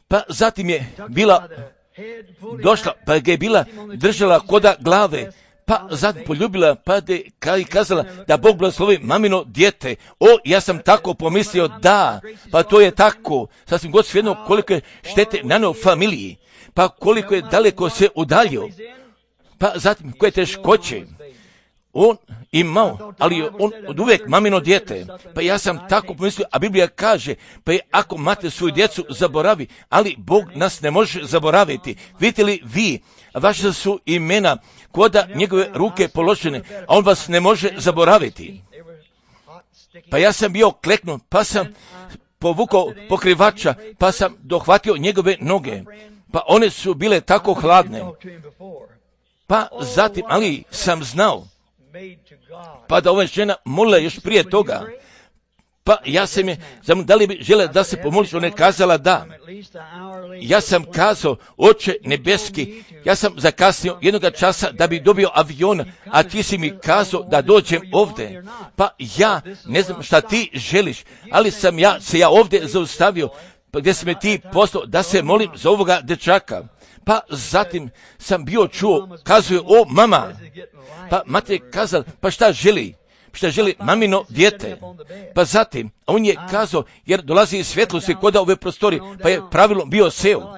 Pa zatim je bila došla, pa ga je bila držala koda glave, pa zatim poljubila, pa de, i kazala da Bog blagoslovi mamino dijete. O, ja sam tako pomislio, da, pa to je tako, sasvim god svejedno koliko je štete naneo familiji, pa koliko je daleko se udaljio, pa zatim koje teškoće on imao, ali on od uvijek mamino dijete. Pa ja sam tako pomislio, a Biblija kaže, pa je ako mate svoju djecu zaboravi, ali Bog nas ne može zaboraviti. Vidite li vi, vaše su imena koda njegove ruke položene, a on vas ne može zaboraviti. Pa ja sam bio kleknut, pa sam povukao pokrivača, pa sam dohvatio njegove noge, pa one su bile tako hladne. Pa zatim, ali sam znao, pa da ova žena molila još prije toga, pa ja sam je, znam, da li bi žele da se pomoliš, ona je kazala da. Ja sam kazao, Oče nebeski, ja sam zakasnio jednoga časa da bi dobio avion, a ti si mi kazao da dođem ovdje. Pa ja ne znam šta ti želiš, ali sam ja se ja ovdje zaustavio, pa gdje si me ti poslao da se molim za ovoga dečaka. Pa zatim sam bio čuo, kazuje, o mama, pa mate je kazala, pa šta želi? Šta želi mamino dijete? Pa zatim, on je kazao, jer dolazi iz svjetlosti koda ove prostori, pa je pravilno bio seo.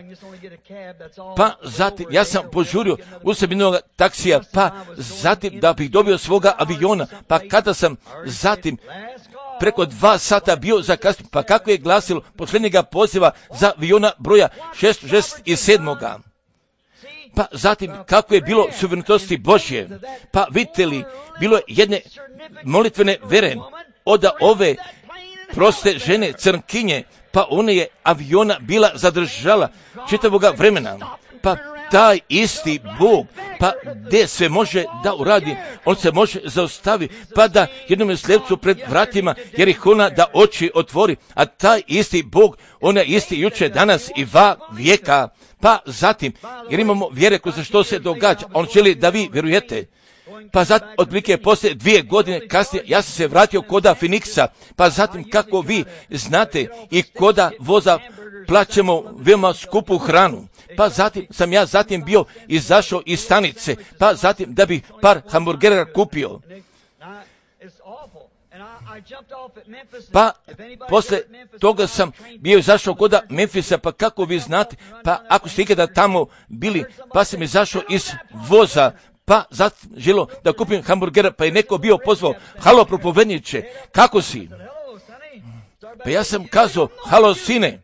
Pa zatim, ja sam požurio u sebi jednog taksija, pa zatim da bih dobio svoga aviona, pa kada sam zatim preko dva sata bio zakasnio, pa kako je glasilo posljednjega poziva za aviona broja šest šest sedam. Pa zatim kako je bilo suverenitosti Božje, pa vidite li, bilo je jedne molitvene vere od ove proste žene crnkinje, pa ona je aviona bila zadržala čitavoga vremena. Pa taj isti Bog, pa gdje sve može da uradi, on se može zaustaviti, pa da jednom slijepcu pred vratima Jerihona da oči otvori, a taj isti Bog, on je isti juče, danas i va vijeka. Pa zatim, jer imamo vjere kroz što se događa, on želi da vi vjerujete. Pa zatim, otprilike poslije dvije godine kasnije, ja sam se vratio koda Phoenixa, pa zatim kako vi znate i koda voza plaćemo veoma skupu hranu. Pa zatim sam ja zatim bio izašao iz stanice, pa zatim da bih par hamburgera kupio. Pa posle toga sam bio izašao koda Memfisa, pa kako vi znate, pa ako ste ikada tamo bili, pa sam izašao iz voza, pa zatim želo da kupim hamburgera, pa je neko bio pozvao, halo propovedniče, kako si? Pa ja sam kazao, halo sine,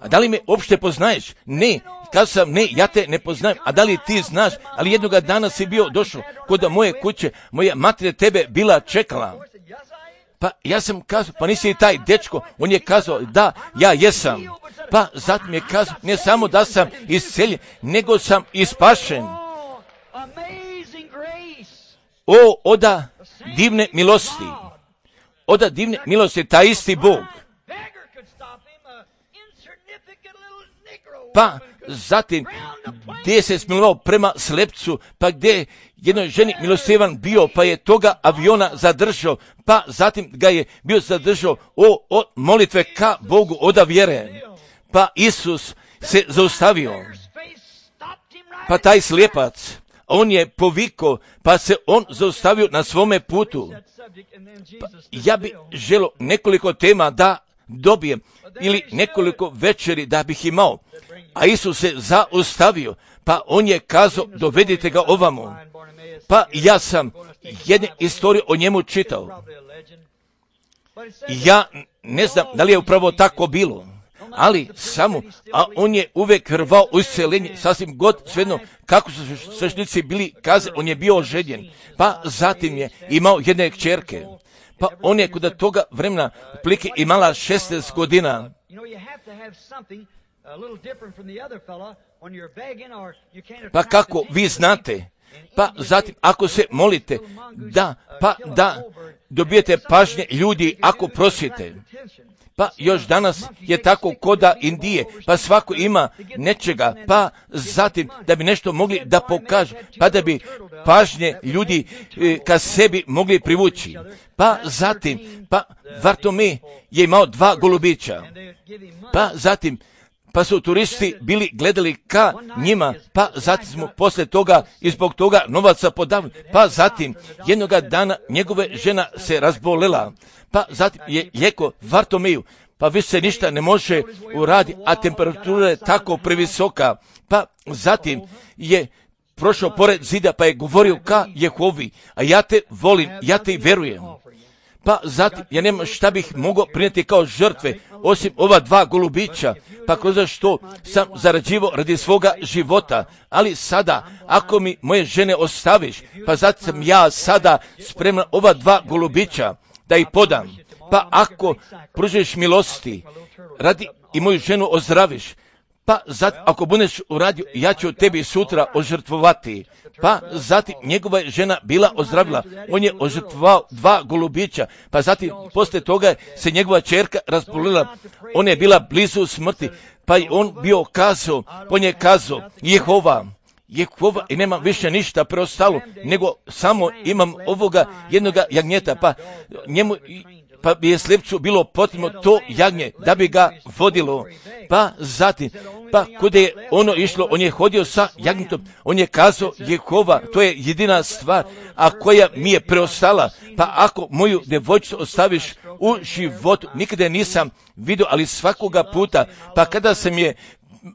a da li me uopšte poznaješ? Ne, kazao sam, ne, ja te ne poznajem, a da li ti znaš, ali jednoga dana si bio došao kod moje kuće, moja mater tebe bila čekala. Pa ja sam kazao, pa nisi taj dečko, on je kazao, da, ja jesam. Pa zatim je kazao, ne samo da sam isceljen, nego sam ispašen. O, oda divne milosti, oda divne milosti, taj isti Bog. pa zatim gdje se smilovao prema slepcu, pa gdje jednoj ženi milostivan bio, pa je toga aviona zadržao, pa zatim ga je bio zadržao o, o molitve ka Bogu oda vjere. Pa Isus se zaustavio, pa taj slijepac, on je povikao, pa se on zaustavio na svome putu. Pa ja bi želio nekoliko tema da dobijem, ili nekoliko večeri da bih imao, a Isus se zaustavio, pa on je kazao, dovedite ga ovamo. Pa ja sam jednu istoriju o njemu čitao. Ja ne znam da li je upravo tako bilo, ali samo, a on je uvek rvao u isceljenje, sasvim god svejedno kako su sveštenici bili kaze, on je bio oženjen, pa zatim je imao jedne kćerke, pa on je kod toga vremena plike imala šesnaest godina. Pa kako vi znate, pa zatim ako se molite, da, pa da dobijete pažnje ljudi ako prosite. Pa još danas je tako koda Indije, pa svako ima nečega, pa zatim da bi nešto mogli da pokažu, pa da bi pažnje ljudi e, ka sebi mogli privući. Pa zatim, pa Vartome je imao dva golubića, pa zatim, pa su turisti bili gledali ka njima, pa zatim smo posle toga i zbog toga novaca podavili, pa zatim jednoga dana njegove žena se razbolela, pa zatim je lijeko Vartomeju, pa više se ništa ne može uraditi, a temperatura je tako previsoka, pa zatim je prošao pored zida, pa je govorio ka Jehovi, a ja te volim, ja te verujem. Pa zatim, ja nemam šta bih mogao prinijeti kao žrtve, osim ova dva golubića, pa kroz što sam zarađivao radi svoga života, ali sada, ako mi moje žene ostaviš, pa zatim sam ja sada spreman ova dva golubića da ih podam, pa ako pružiš milosti, radi i moju ženu ozdraviš, pa zatim ako budeš uradio, ja ću tebi sutra ožrtvovati. Pa zatim njegova žena bila ozdravila, on je ožrtvovao dva golubića, pa zatim posle toga se njegova ćerka razbolila, ona je bila blizu smrti, pa je on bio kazao, on je kazao, Jehova, Jehova, i nemam više ništa preostalo, nego samo imam ovoga jednoga jagnjeta, pa njemu, pa bi je slijepcu bilo potrebno to jagnje da bi ga vodilo, pa zatim, pa kuda je ono išlo, on je hodio sa jagnjetom, on je kazao, Jehova, to je jedina stvar, a koja mi je preostala, pa ako moju devojčicu ostaviš u životu, nikada je nisam vidio, ali svakoga puta, pa kada sam je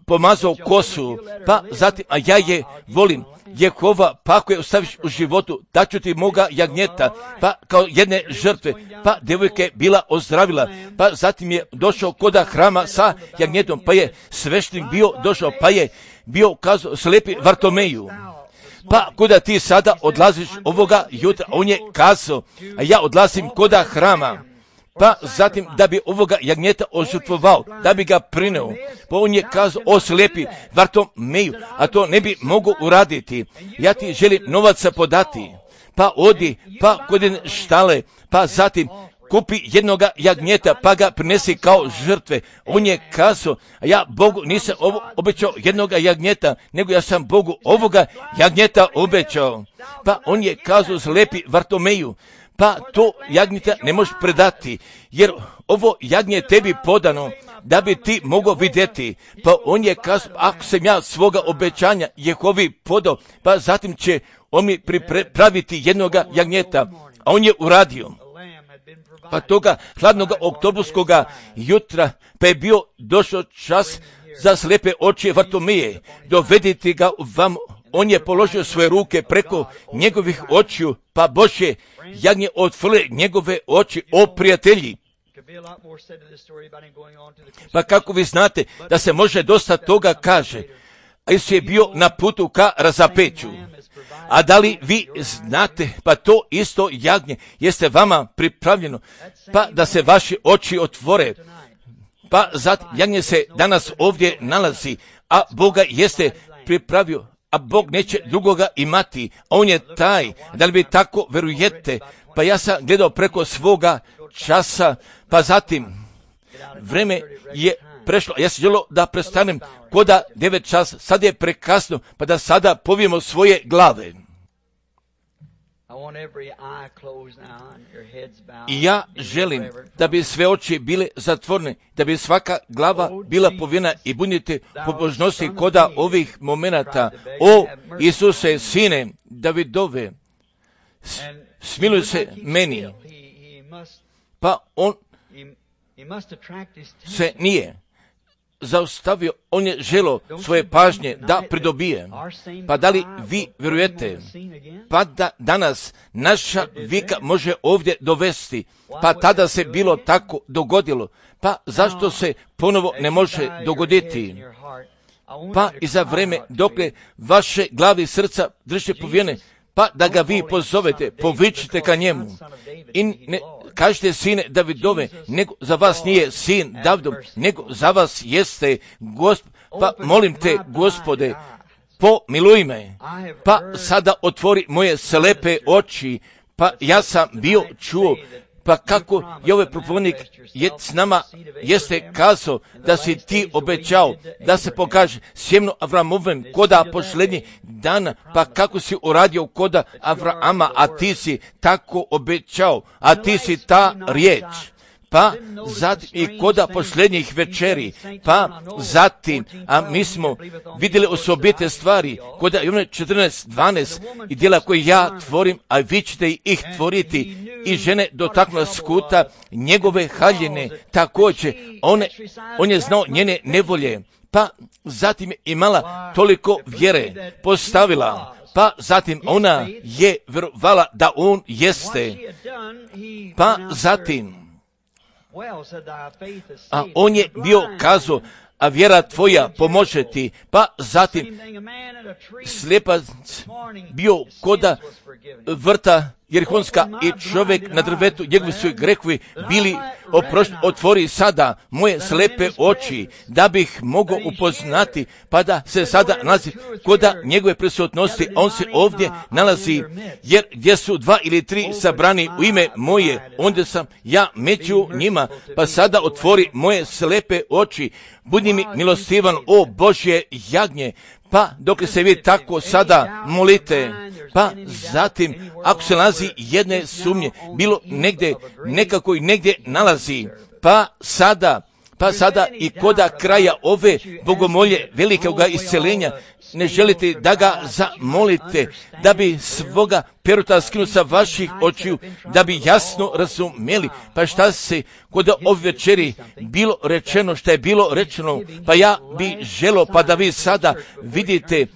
pomazao kosu, pa zatim, a ja je volim, Jehova, pa ako je ostaviš u životu, daću ti moga jagnjeta, pa kao jedne žrtve, pa devojka je bila ozdravila, pa zatim je došao koda hrama sa jagnjetom, pa je sveštenik bio došao, pa je bio kazao slepi Vartomeju, pa kuda ti sada odlaziš ovoga jutra, on je kazao, a ja odlazim koda hrama, pa zatim da bi ovoga jagnjeta ožrtvovao, da bi ga prineo, pa on je kazao, o slijepi Vartomeju, a to ne bi mogu uraditi, ja ti želim novaca podati, pa odi, pa kod štale, pa zatim kupi jednoga jagnjeta, pa ga prinesi kao žrtve. On je kazao, a ja Bogu nisam obećao jednoga jagnjeta, nego ja sam Bogu ovoga jagnjeta obećao, pa on je kazao, slijepi Vartomeju, pa to jagnjeta ne možeš predati, jer ovo jagnje je tebi podano, da bi ti mogao vidjeti. Pa on je kazao, ako sam ja svoga obećanja Jehovi podao, pa zatim će on mi pripraviti jednoga jagnjeta, a on je uradio. Pa toga hladnog oktobarskoga jutra, pa je bio došao čas za slijepe oči Vartomeje, dovedite ga vam. On je položio svoje ruke preko njegovih očiju, pa Bože, jagnje otvrle njegove oči, o prijatelji. Pa kako vi znate da se može dosta toga kaže, a Isus je bio na putu ka razapeću. A da li vi znate, pa to isto jagnje jeste vama pripravljeno, pa da se vaši oči otvore. Pa zatim jagnje se danas ovdje nalazi, a Boga jeste pripravio, a Bog neće drugoga imati, a on je taj. Da li vi tako verujete? Pa ja sam gledao preko svoga časa, pa zatim vreme je prešlo, ja sam želio da prestanem koda devet čas, sad je prekasno, pa da sada povijemo svoje glave. I ja želim da bi sve oči bile zatvorene, da bi svaka glava bila povijena i budite pobožnosti koda ovih momenata. O Isuse, sine Davidove, smiluj se meni. Pa on se nije zaustavio, on je želo svoje pažnje da pridobije. Pa da li vi vjerujete, pa da danas naša vika može ovdje dovesti, pa tada se bilo tako dogodilo, pa zašto se ponovo ne može dogoditi? Pa i za vreme dokle vaše glavi i srca držite povijene, pa da ga vi pozovete, povičite ka njemu. I ne kažete sine Davidove, nego za vas nije sin Davidov, nego za vas jeste Gospod. Pa molim te, Gospode, pomiluj me, pa sada otvori moje slepe oči, pa ja sam bio čuo, pa kako je ovaj propovednik je s nama jeste kazao da si ti obećao da se pokaže sjemno Avramovem koda posljednjih dana, pa kako si uradio koda Avrama, a ti si tako obećao, a ti si ta riječ. Pa zatim i koda posljednjih večeri, pa zatim, a mi smo vidjeli osobite stvari, koda Jovana četrnaest dvanaest i djela koje ja tvorim, a vi ćete ih tvoriti, i žene dotaknula skuta njegove haljine, također, one, on je znao njene nevolje, pa zatim je imala toliko vjere, postavila, pa zatim ona je vjerovala da on jeste, pa zatim, a on je bio kazao, a vjera tvoja pomože ti, pa zatim slijepac bio koda vrta Jerihonska i čovjek na drvetu, njegovi su grehovi bili oprošteni. Otvori sada moje slepe oči da bih mogao upoznati, pa da se sada nalazi koda njegove prisutnosti, on se ovdje nalazi, jer gdje su dva ili tri sabrani u ime moje, onda sam ja među njima, pa sada otvori moje slepe oči, budi mi milostivan, o Božje jagnje. Pa dok se vi tako sada molite, pa zatim ako se nalazi jedne sumnje, bilo negdje, nekako i negdje nalazi, pa sada, pa sada i koda kraja ove bogomolje velikoga isceljenja, ne želite da ga zamolite, da bi svoga peruta skinuo sa vaših očiju, da bi jasno razumjeli, pa šta se kod ove večeri bilo rečeno, šta je bilo rečeno, pa ja bi želo, pa da vi sada vidite,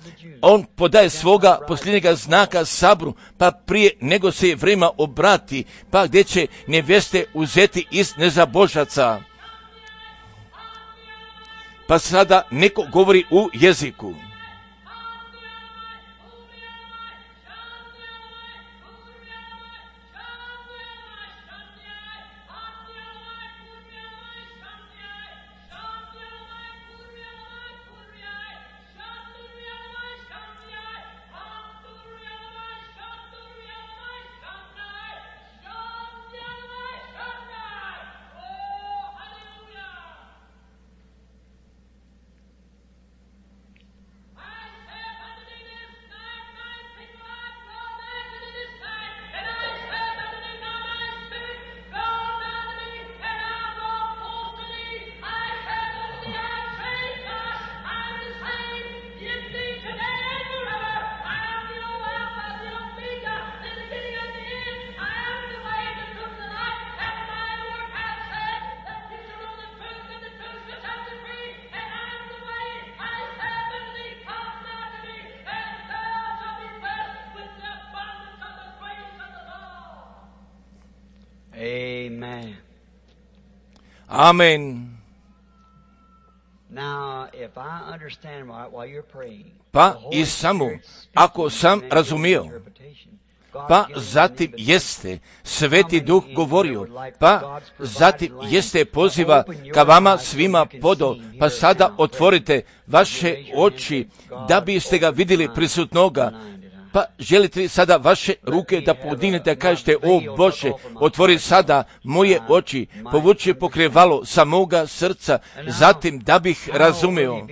on podaje svoga posljednjega znaka sabru, pa prije nego se vrema obrati, pa gdje će nevjeste uzeti iz nezabožaca. Pa sada neko govori u jeziku. Amen. Amen. Now, if I understand right while you're praying, Pa the Holy i samo, Spirit speaks ako sam and razumio, gives interpretation. God pa gives an zatim invitation. jeste Sveti Duh govorio, pa zatim jeste poziva ka vama svima podo, pa sada otvorite vaše oči da biste ga vidjeli prisutnoga, Pa želite li sada vaše ruke da podignete, da kažete, o Bože, otvori sada moje oči, povuči pokrivalo sa moga srca, zatim da bih razumeo,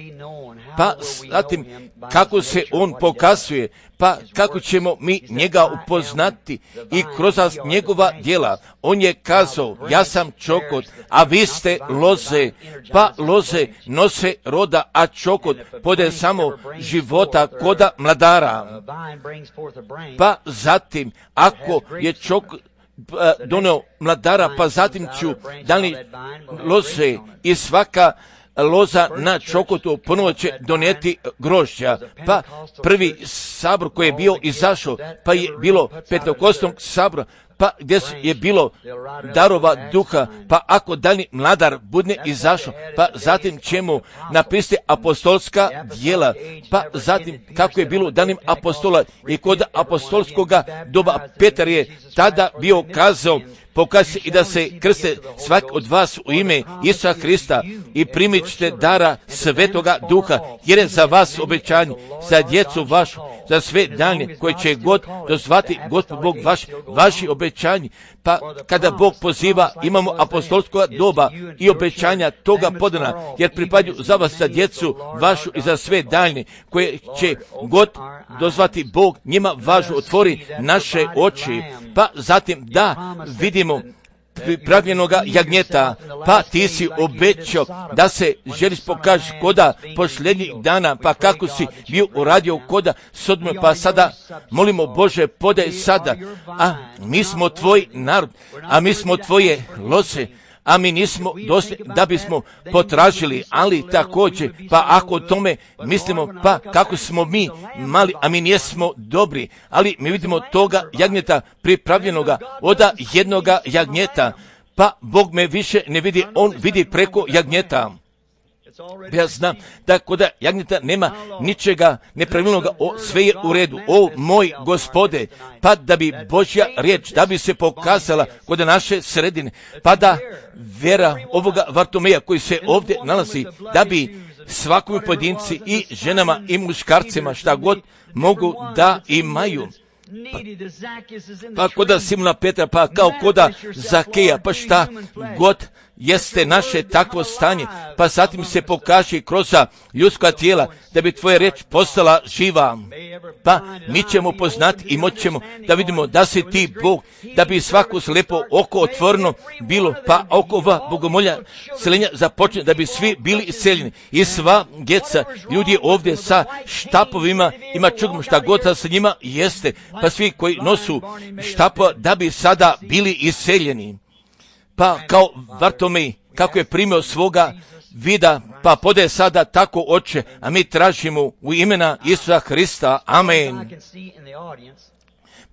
pa zatim kako se on pokazuje, pa kako ćemo mi njega upoznati i kroz njegova djela. On je kazao, ja sam čokot, a vi ste loze, pa loze nose roda, a čokot pode samo života koda mladara. Pa zatim, ako je čokot doneo mladara, pa zatim ću dali loze i svaka loza na čokotu ponovo će donijeti grožđa. Pa prvi sabor koji je bio izašao, pa je bilo petokostnog sabora, pa gdje je bilo darova duha, pa ako dani mladar budne izašao, pa zatim ćemo napisati apostolska djela, pa zatim kako je bilo danim apostola i kod apostolskoga doba Petar je tada bio kazao, pokazuje i da se krste svak od vas u ime Isusa Hrista i primit ćete dara Svetoga Duha, jer je za vas obećanje, za djecu vašu, za sve dane koje će god dozvati Gospod Bog vaš, vaši obećanji. Pa kada Bog poziva, imamo apostolskoga doba i obećanja toga podana, jer pripadaju za vas, za djecu vašu i za sve dane koje će god dozvati Bog, njima važu otvori naše oči, pa zatim da vidimo pripravljenoga jagnjeta, pa ti si obećao da se želiš pokaži koda posljednjih dana, pa kako si bio uradio koda Sodome, pa sada molimo Bože, podaj sada, a mi smo tvoj narod, a mi smo tvoje loze, a mi nismo došli da bismo potražili, ali također, pa ako o tome mislimo, pa kako smo mi mali, a mi nismo dobri, ali mi vidimo toga jagnjeta pripravljenoga od jednoga jagnjeta, pa Bog me više ne vidi, on vidi preko jagnjeta. Ja znam da kod jagnjeta nema ničega nepravilnoga, o, sve je u redu. O moj Gospode, pa da bi Božja riječ, da bi se pokazala kod naše sredine, pa da vjera ovoga Vartomeja koji se ovdje nalazi, da bi svakom pojedinci i ženama i muškarcima šta god mogu da imaju. Pa, pa koda Simona Petra, pa kao koda Zakeja, pa šta god jeste naše takvo stanje, pa zatim se pokaže kroz ljudska tijela, da bi tvoja riječ postala živa. Pa mi ćemo poznati i moći ćemo da vidimo da si ti Bog, da bi svako slijepo oko otvoreno bilo, pa okova bogomolja seljenja započne, da bi svi bili iseljeni. I sva djeca, ljudi ovdje sa štapovima, ima čudno šta god da sa njima jeste, pa svi koji nosu štapova, da bi sada bili iseljeni. Pa kao Vartomej, kako je primio svoga vida, pa pode sada tako Oče, a mi tražimo u imena Isusa Hrista. Amen.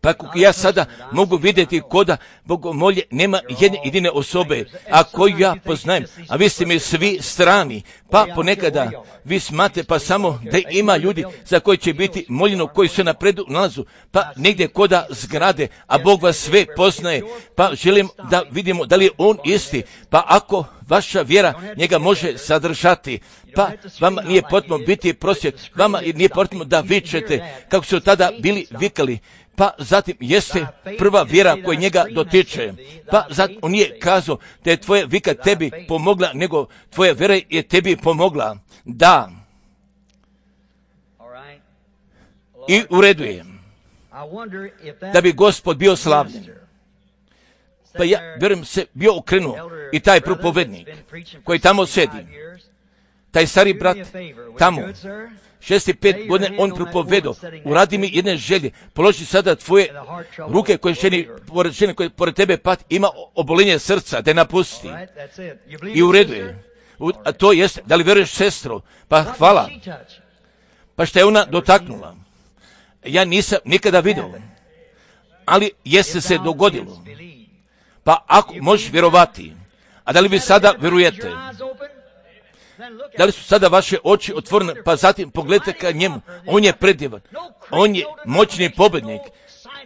Pa ja sada mogu vidjeti koda bogomolje nema jedne jedine osobe, a koju ja poznajem, a vi ste mi svi strani, pa ponekada vi smate pa samo da ima ljudi za koji će biti moljeno, koji se napredu nalazu, pa negdje koda zgrade, a Bog vas sve poznaje, pa želim da vidimo da li je on isti, pa ako vaša vjera njega može sadržati, pa vama nije potrebno biti prosvjet, vama nije potrebno da vičete kako su tada bili vikali, pa zatim jeste prva vjera koja njega dotiče. Pa zatim on nije kazao da je tvoja vika tebi pomogla, nego tvoja vjera je tebi pomogla. Da. I u redu je. Da bi Gospod bio slavljen. Pa ja, vjerujem se, bio okrenuo i taj propovednik koji tamo sedi, taj stari brat tamo, šesti pet godine on propovedao, uradi mi jedne želje, položi sada tvoje ruke koje ženi, pored žene koje pored tebe pat, ima obolenje srca, da je napusti. I u redu je. A to jest, da li vjeruješ sestro? Pa hvala. Pa šta je ona dotaknula? Ja nisam nikada vidio, ali jeste se dogodilo. Pa ako možeš vjerovati, a da li vi sada vjerujete? Da li su sada vaše oči otvorene, pa zatim pogledajte ka njemu, on je predivan, on je moćni pobjednik,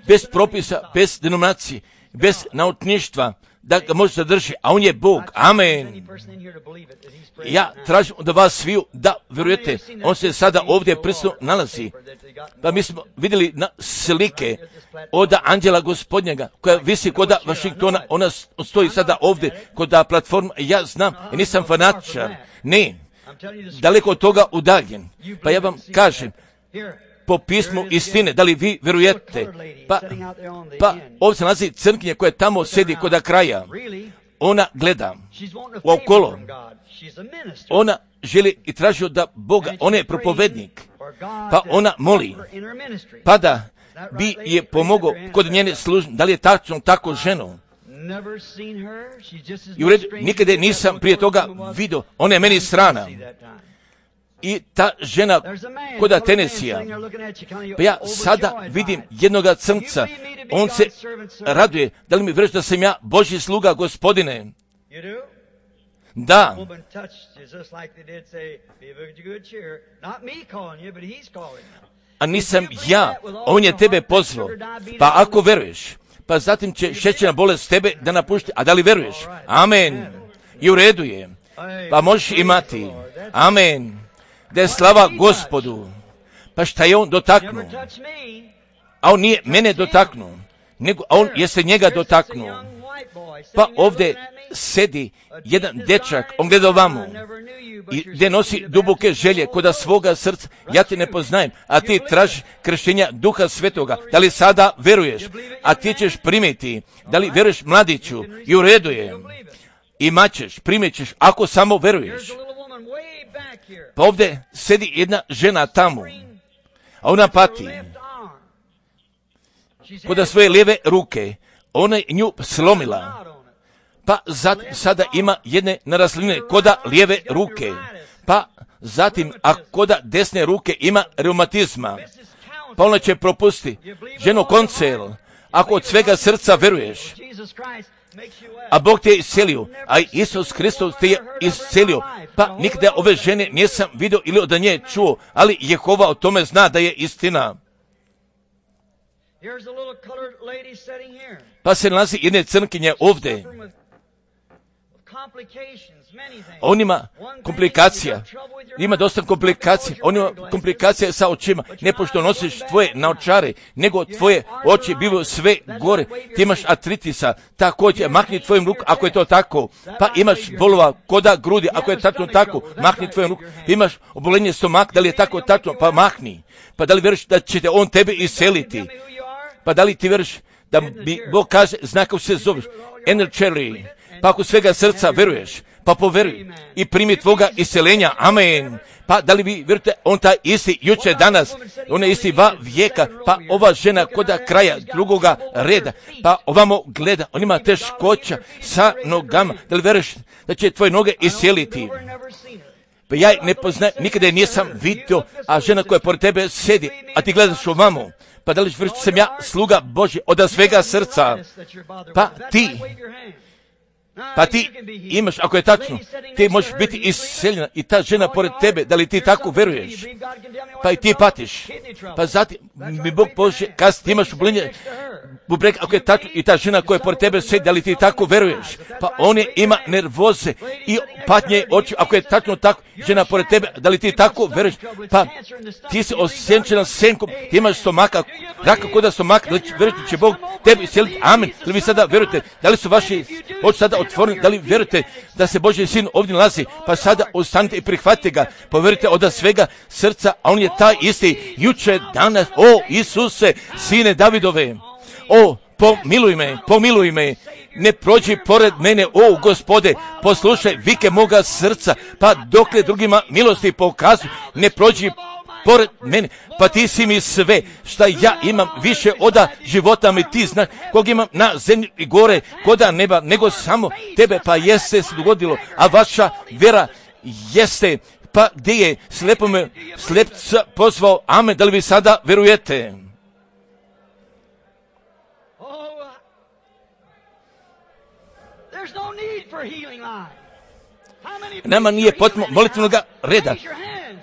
bez propisa, bez denominacije, bez naučništva, da ga može zadržati, a on je Bog. Amen. Ja tražim od vas sviju da vjerujete, on se sada ovdje prisutno nalazi. Pa mi smo vidjeli na slike od anđela gospodnjega koja visi kod Vašingtona, ona stoji sada ovdje kod platforma. Ja znam, ja nisam fanatičar, ne, daleko od toga udaljen. Pa ja vam kažem, po pismu istine, da li vi vjerujete? Pa, pa ovdje se nalazi crnkinja koja tamo sjedi kod kraja. Ona gleda okolo. Ona želi i traži od Boga, ona je propovednik. Pa ona moli, pa da bi je pomogao kod njene službe. Da li je tačno tako ženo? I u redu, nikada nisam prije toga vidio, ona je meni strana. I ta žena kod Tenesija, pa ja sada vidim jednoga crnca, on se raduje, da li mi vjeruješ da sam ja Božji sluga, Gospodine? Da. A nisam ja, on je tebe pozvao. Pa ako veruješ, pa zatim će šećerna bolest tebe da napušti. A da li veruješ? Amen. I u redu je. Pa možeš imati. Amen. Da je slava Gospodu. Pa šta je on dotaknuo? A on nije mene dotaknuo, nego a on jeste njega dotaknuo. Pa ovdje sedi jedan dečak, on gleda ovamo i gdje nosi duboke želje kod svoga srca. Ja te ne poznajem, a ti tražiš krštenja Duha Svetoga. Da li sada veruješ? A ti ćeš primiti. Da li veruješ, mladiću? I u redu je. Imat ćeš, primit ćeš, ako samo veruješ. Pa ovdje sedi jedna žena tamo, a ona pati kod svoje lijeve ruke. Ona je nju slomila. Pa zat, sada ima jedne narasline koda lijeve ruke. Pa zatim, a koda desne ruke ima reumatizma. Pa ona će propustiti. Ženo, koncel, ako od svega srca veruješ, a Bog te je iscelio, a Isus Hristos te je iscelio, pa nikada ove žene nisam vidio ili od nje čuo, ali Jehova o tome zna da je istina. Pa se nalazi jedne crnkinje ovdje. On ima komplikacija, ima dosta komplikacija, on ima komplikacija sa očima, ne pošto nosiš tvoje naočare, nego tvoje oči bivaju sve gore, ti imaš artritisa, također mahni tvojim rukom ako je to tako, pa imaš bolova koda grudi, ako je tačno tako, mahni tvojim rukom, imaš obolenje stomaka, da li je tako tačno, pa mahni, pa da li vjeruješ da će te on tebe iseliti, pa da li ti vjeruješ da bi Bog kaže, zna kako se zoveš, Enerčeli, pa ako svega srca veruješ, pa poveruj i primi tvoga iseljenja, amen. Pa da li vi vjerujete, on taj isti juče danas, on je isti va vijeka, pa ova žena koda kraja drugoga reda, pa ovamo gleda, on ima teškoća sa nogama, da li veruješ da će tvoje noge iseliti? Pa ja ne poznajem, nikada je nisam vidio, a žena koja pored tebe sedi, a ti gledaš ovamo, pa da li vjeruješ da sam ja sluga Božji od svega srca, pa ti, Pa ti imaš, ako je tačno, ti možeš biti isceljena i ta žena pored tebe, da li ti tako veruješ? Pa i ti patiš. Pa zatim mi Bog Bože, kad ti imaš obolenje bubrega, ako je tačno, i ta žena koja je pored tebe sedi, da li ti tako veruješ? Pa on je ima nervoze i patnje oči, ako je tačno tako, žena pored tebe, da li ti tako veruješ? Pa ti si osjenčena senkom, ti imaš stomaka, raka koda stomaka, da li verujete će Bog tebi isceliti? Amen. Da li vi sada verujete? Da li su vaši oči sada otvoreni? Da li verujete da se Božji sin ovdje nalazi? Pa sada ostanite i prihvatite ga. Poverujte od svega srca, a on je taj isti juče, danas. O Isuse, sine Davidove. O, pomiluj me, pomiluj me. Ne prođi pored mene, o Gospode, poslušaj vike moga srca, pa dokle drugima milosti pokazuj, ne prođi pored mene, pa ti si mi sve šta ja imam, više oda života mi ti znaš, kog imam na zemlji i gore, koda neba, nego samo tebe, pa jeste se dogodilo, a vaša vjera jeste, pa gdje je slepome slepca pozvao, amen, da li vi sada verujete? Nama nije potrebno molitvenog reda.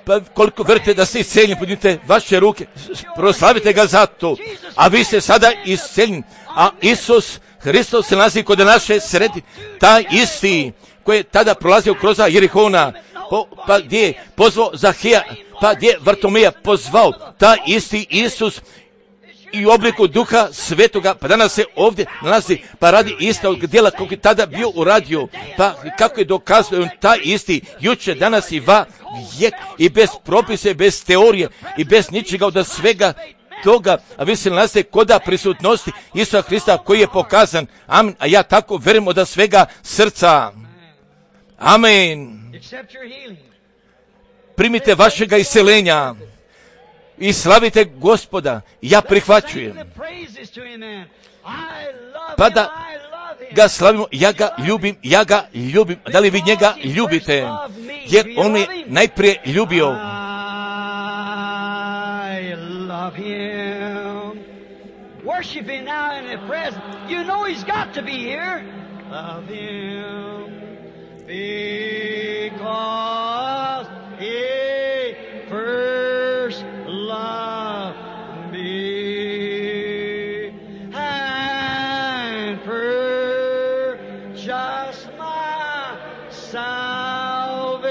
Pa koliko verujete da ste isceljeni, podignite vaše ruke, proslavite ga za to. A vi ste sada isceljeni. A Isus Hristos se nalazi kod naše sredi, taj isti koji je tada prolazio kroz Jerihona, po, pa gdje je pozvao Zahija, pa gdje je Vartomija pozvao, taj isti Isus i u obliku Duha Svetoga, pa danas se ovdje nalazi, pa radi istog djela kako je tada bio uradio, pa kako je dokazao on taj isti juče, danas i va vijek, i bez propise, bez teorije i bez ničega od svega toga, a vi se nalazite koda prisutnosti Isusa Hrista koji je pokazan. Amen. A ja tako vjerujem od svega srca. Amen. Primite vašega iscelenja i slavite Gospoda. Ja prihvaćujem. Pa da ga slavimo, ja ga ljubim, ja ga ljubim. Da li vi njega ljubite? Jer on je najprije ljubio. Love him. Worship him now in the present. You know he's got to be here. Love him because he first loved me and purchased my salvation.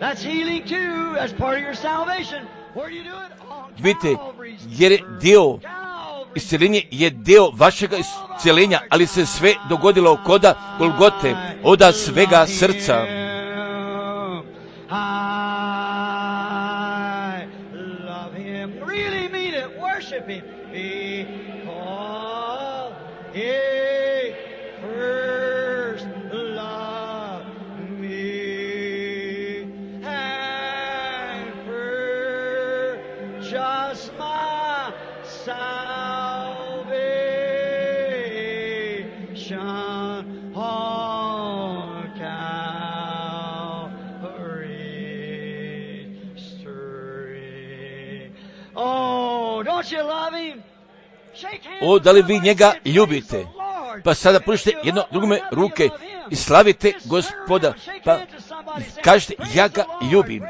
That's healing too. That's part of your salvation. Vidite, jer je dio isceljenje je dio vašega isceljenja, ali se sve dogodilo koda Golgote, oda svega srca. O, da li vi njega ljubite? Pa sada pružite jedno drugome ruke i slavite Gospoda. Pa kažete, ja ga ljubim.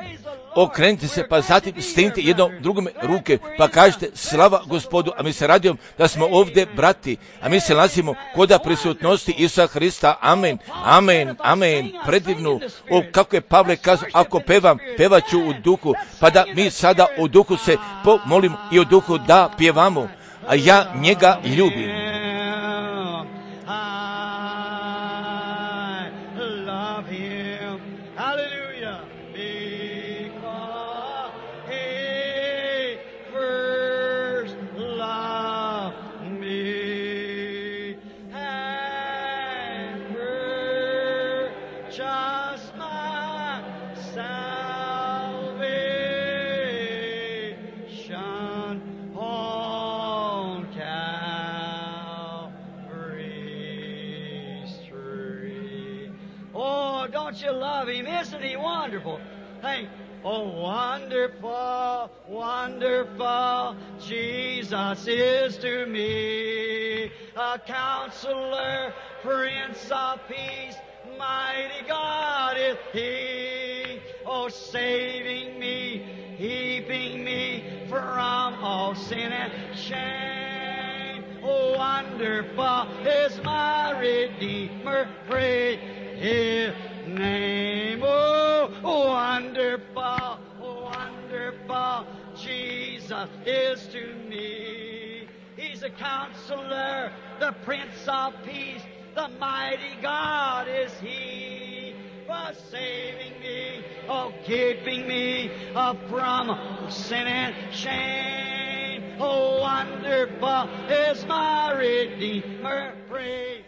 Okrenite se, pa zatim stenite jedno drugome ruke, pa kažete, slava Gospodu. A mi se radimo da smo ovdje brati, a mi se nalazimo koda prisutnosti Isusa Hrista. Amen, amen, amen. Predivno. O, kako je Pavle kazao, ako pevam, pevaću u duhu, pa da mi sada u duhu se pomolimo i u duhu da pjevamo. A ja njega ljubim. You love him, isn't he wonderful? Hey, oh, wonderful, wonderful, Jesus is to me, a counselor, Prince of Peace, mighty God is he, oh, saving me, keeping me from all sin and shame. Oh, wonderful is my Redeemer, praise his name. Oh, wonderful, wonderful, Jesus is to me. He's a counselor, the Prince of Peace, the mighty God is he, for saving me, oh, keeping me oh, from sin and shame. Oh, wonderful is my Redeemer, praise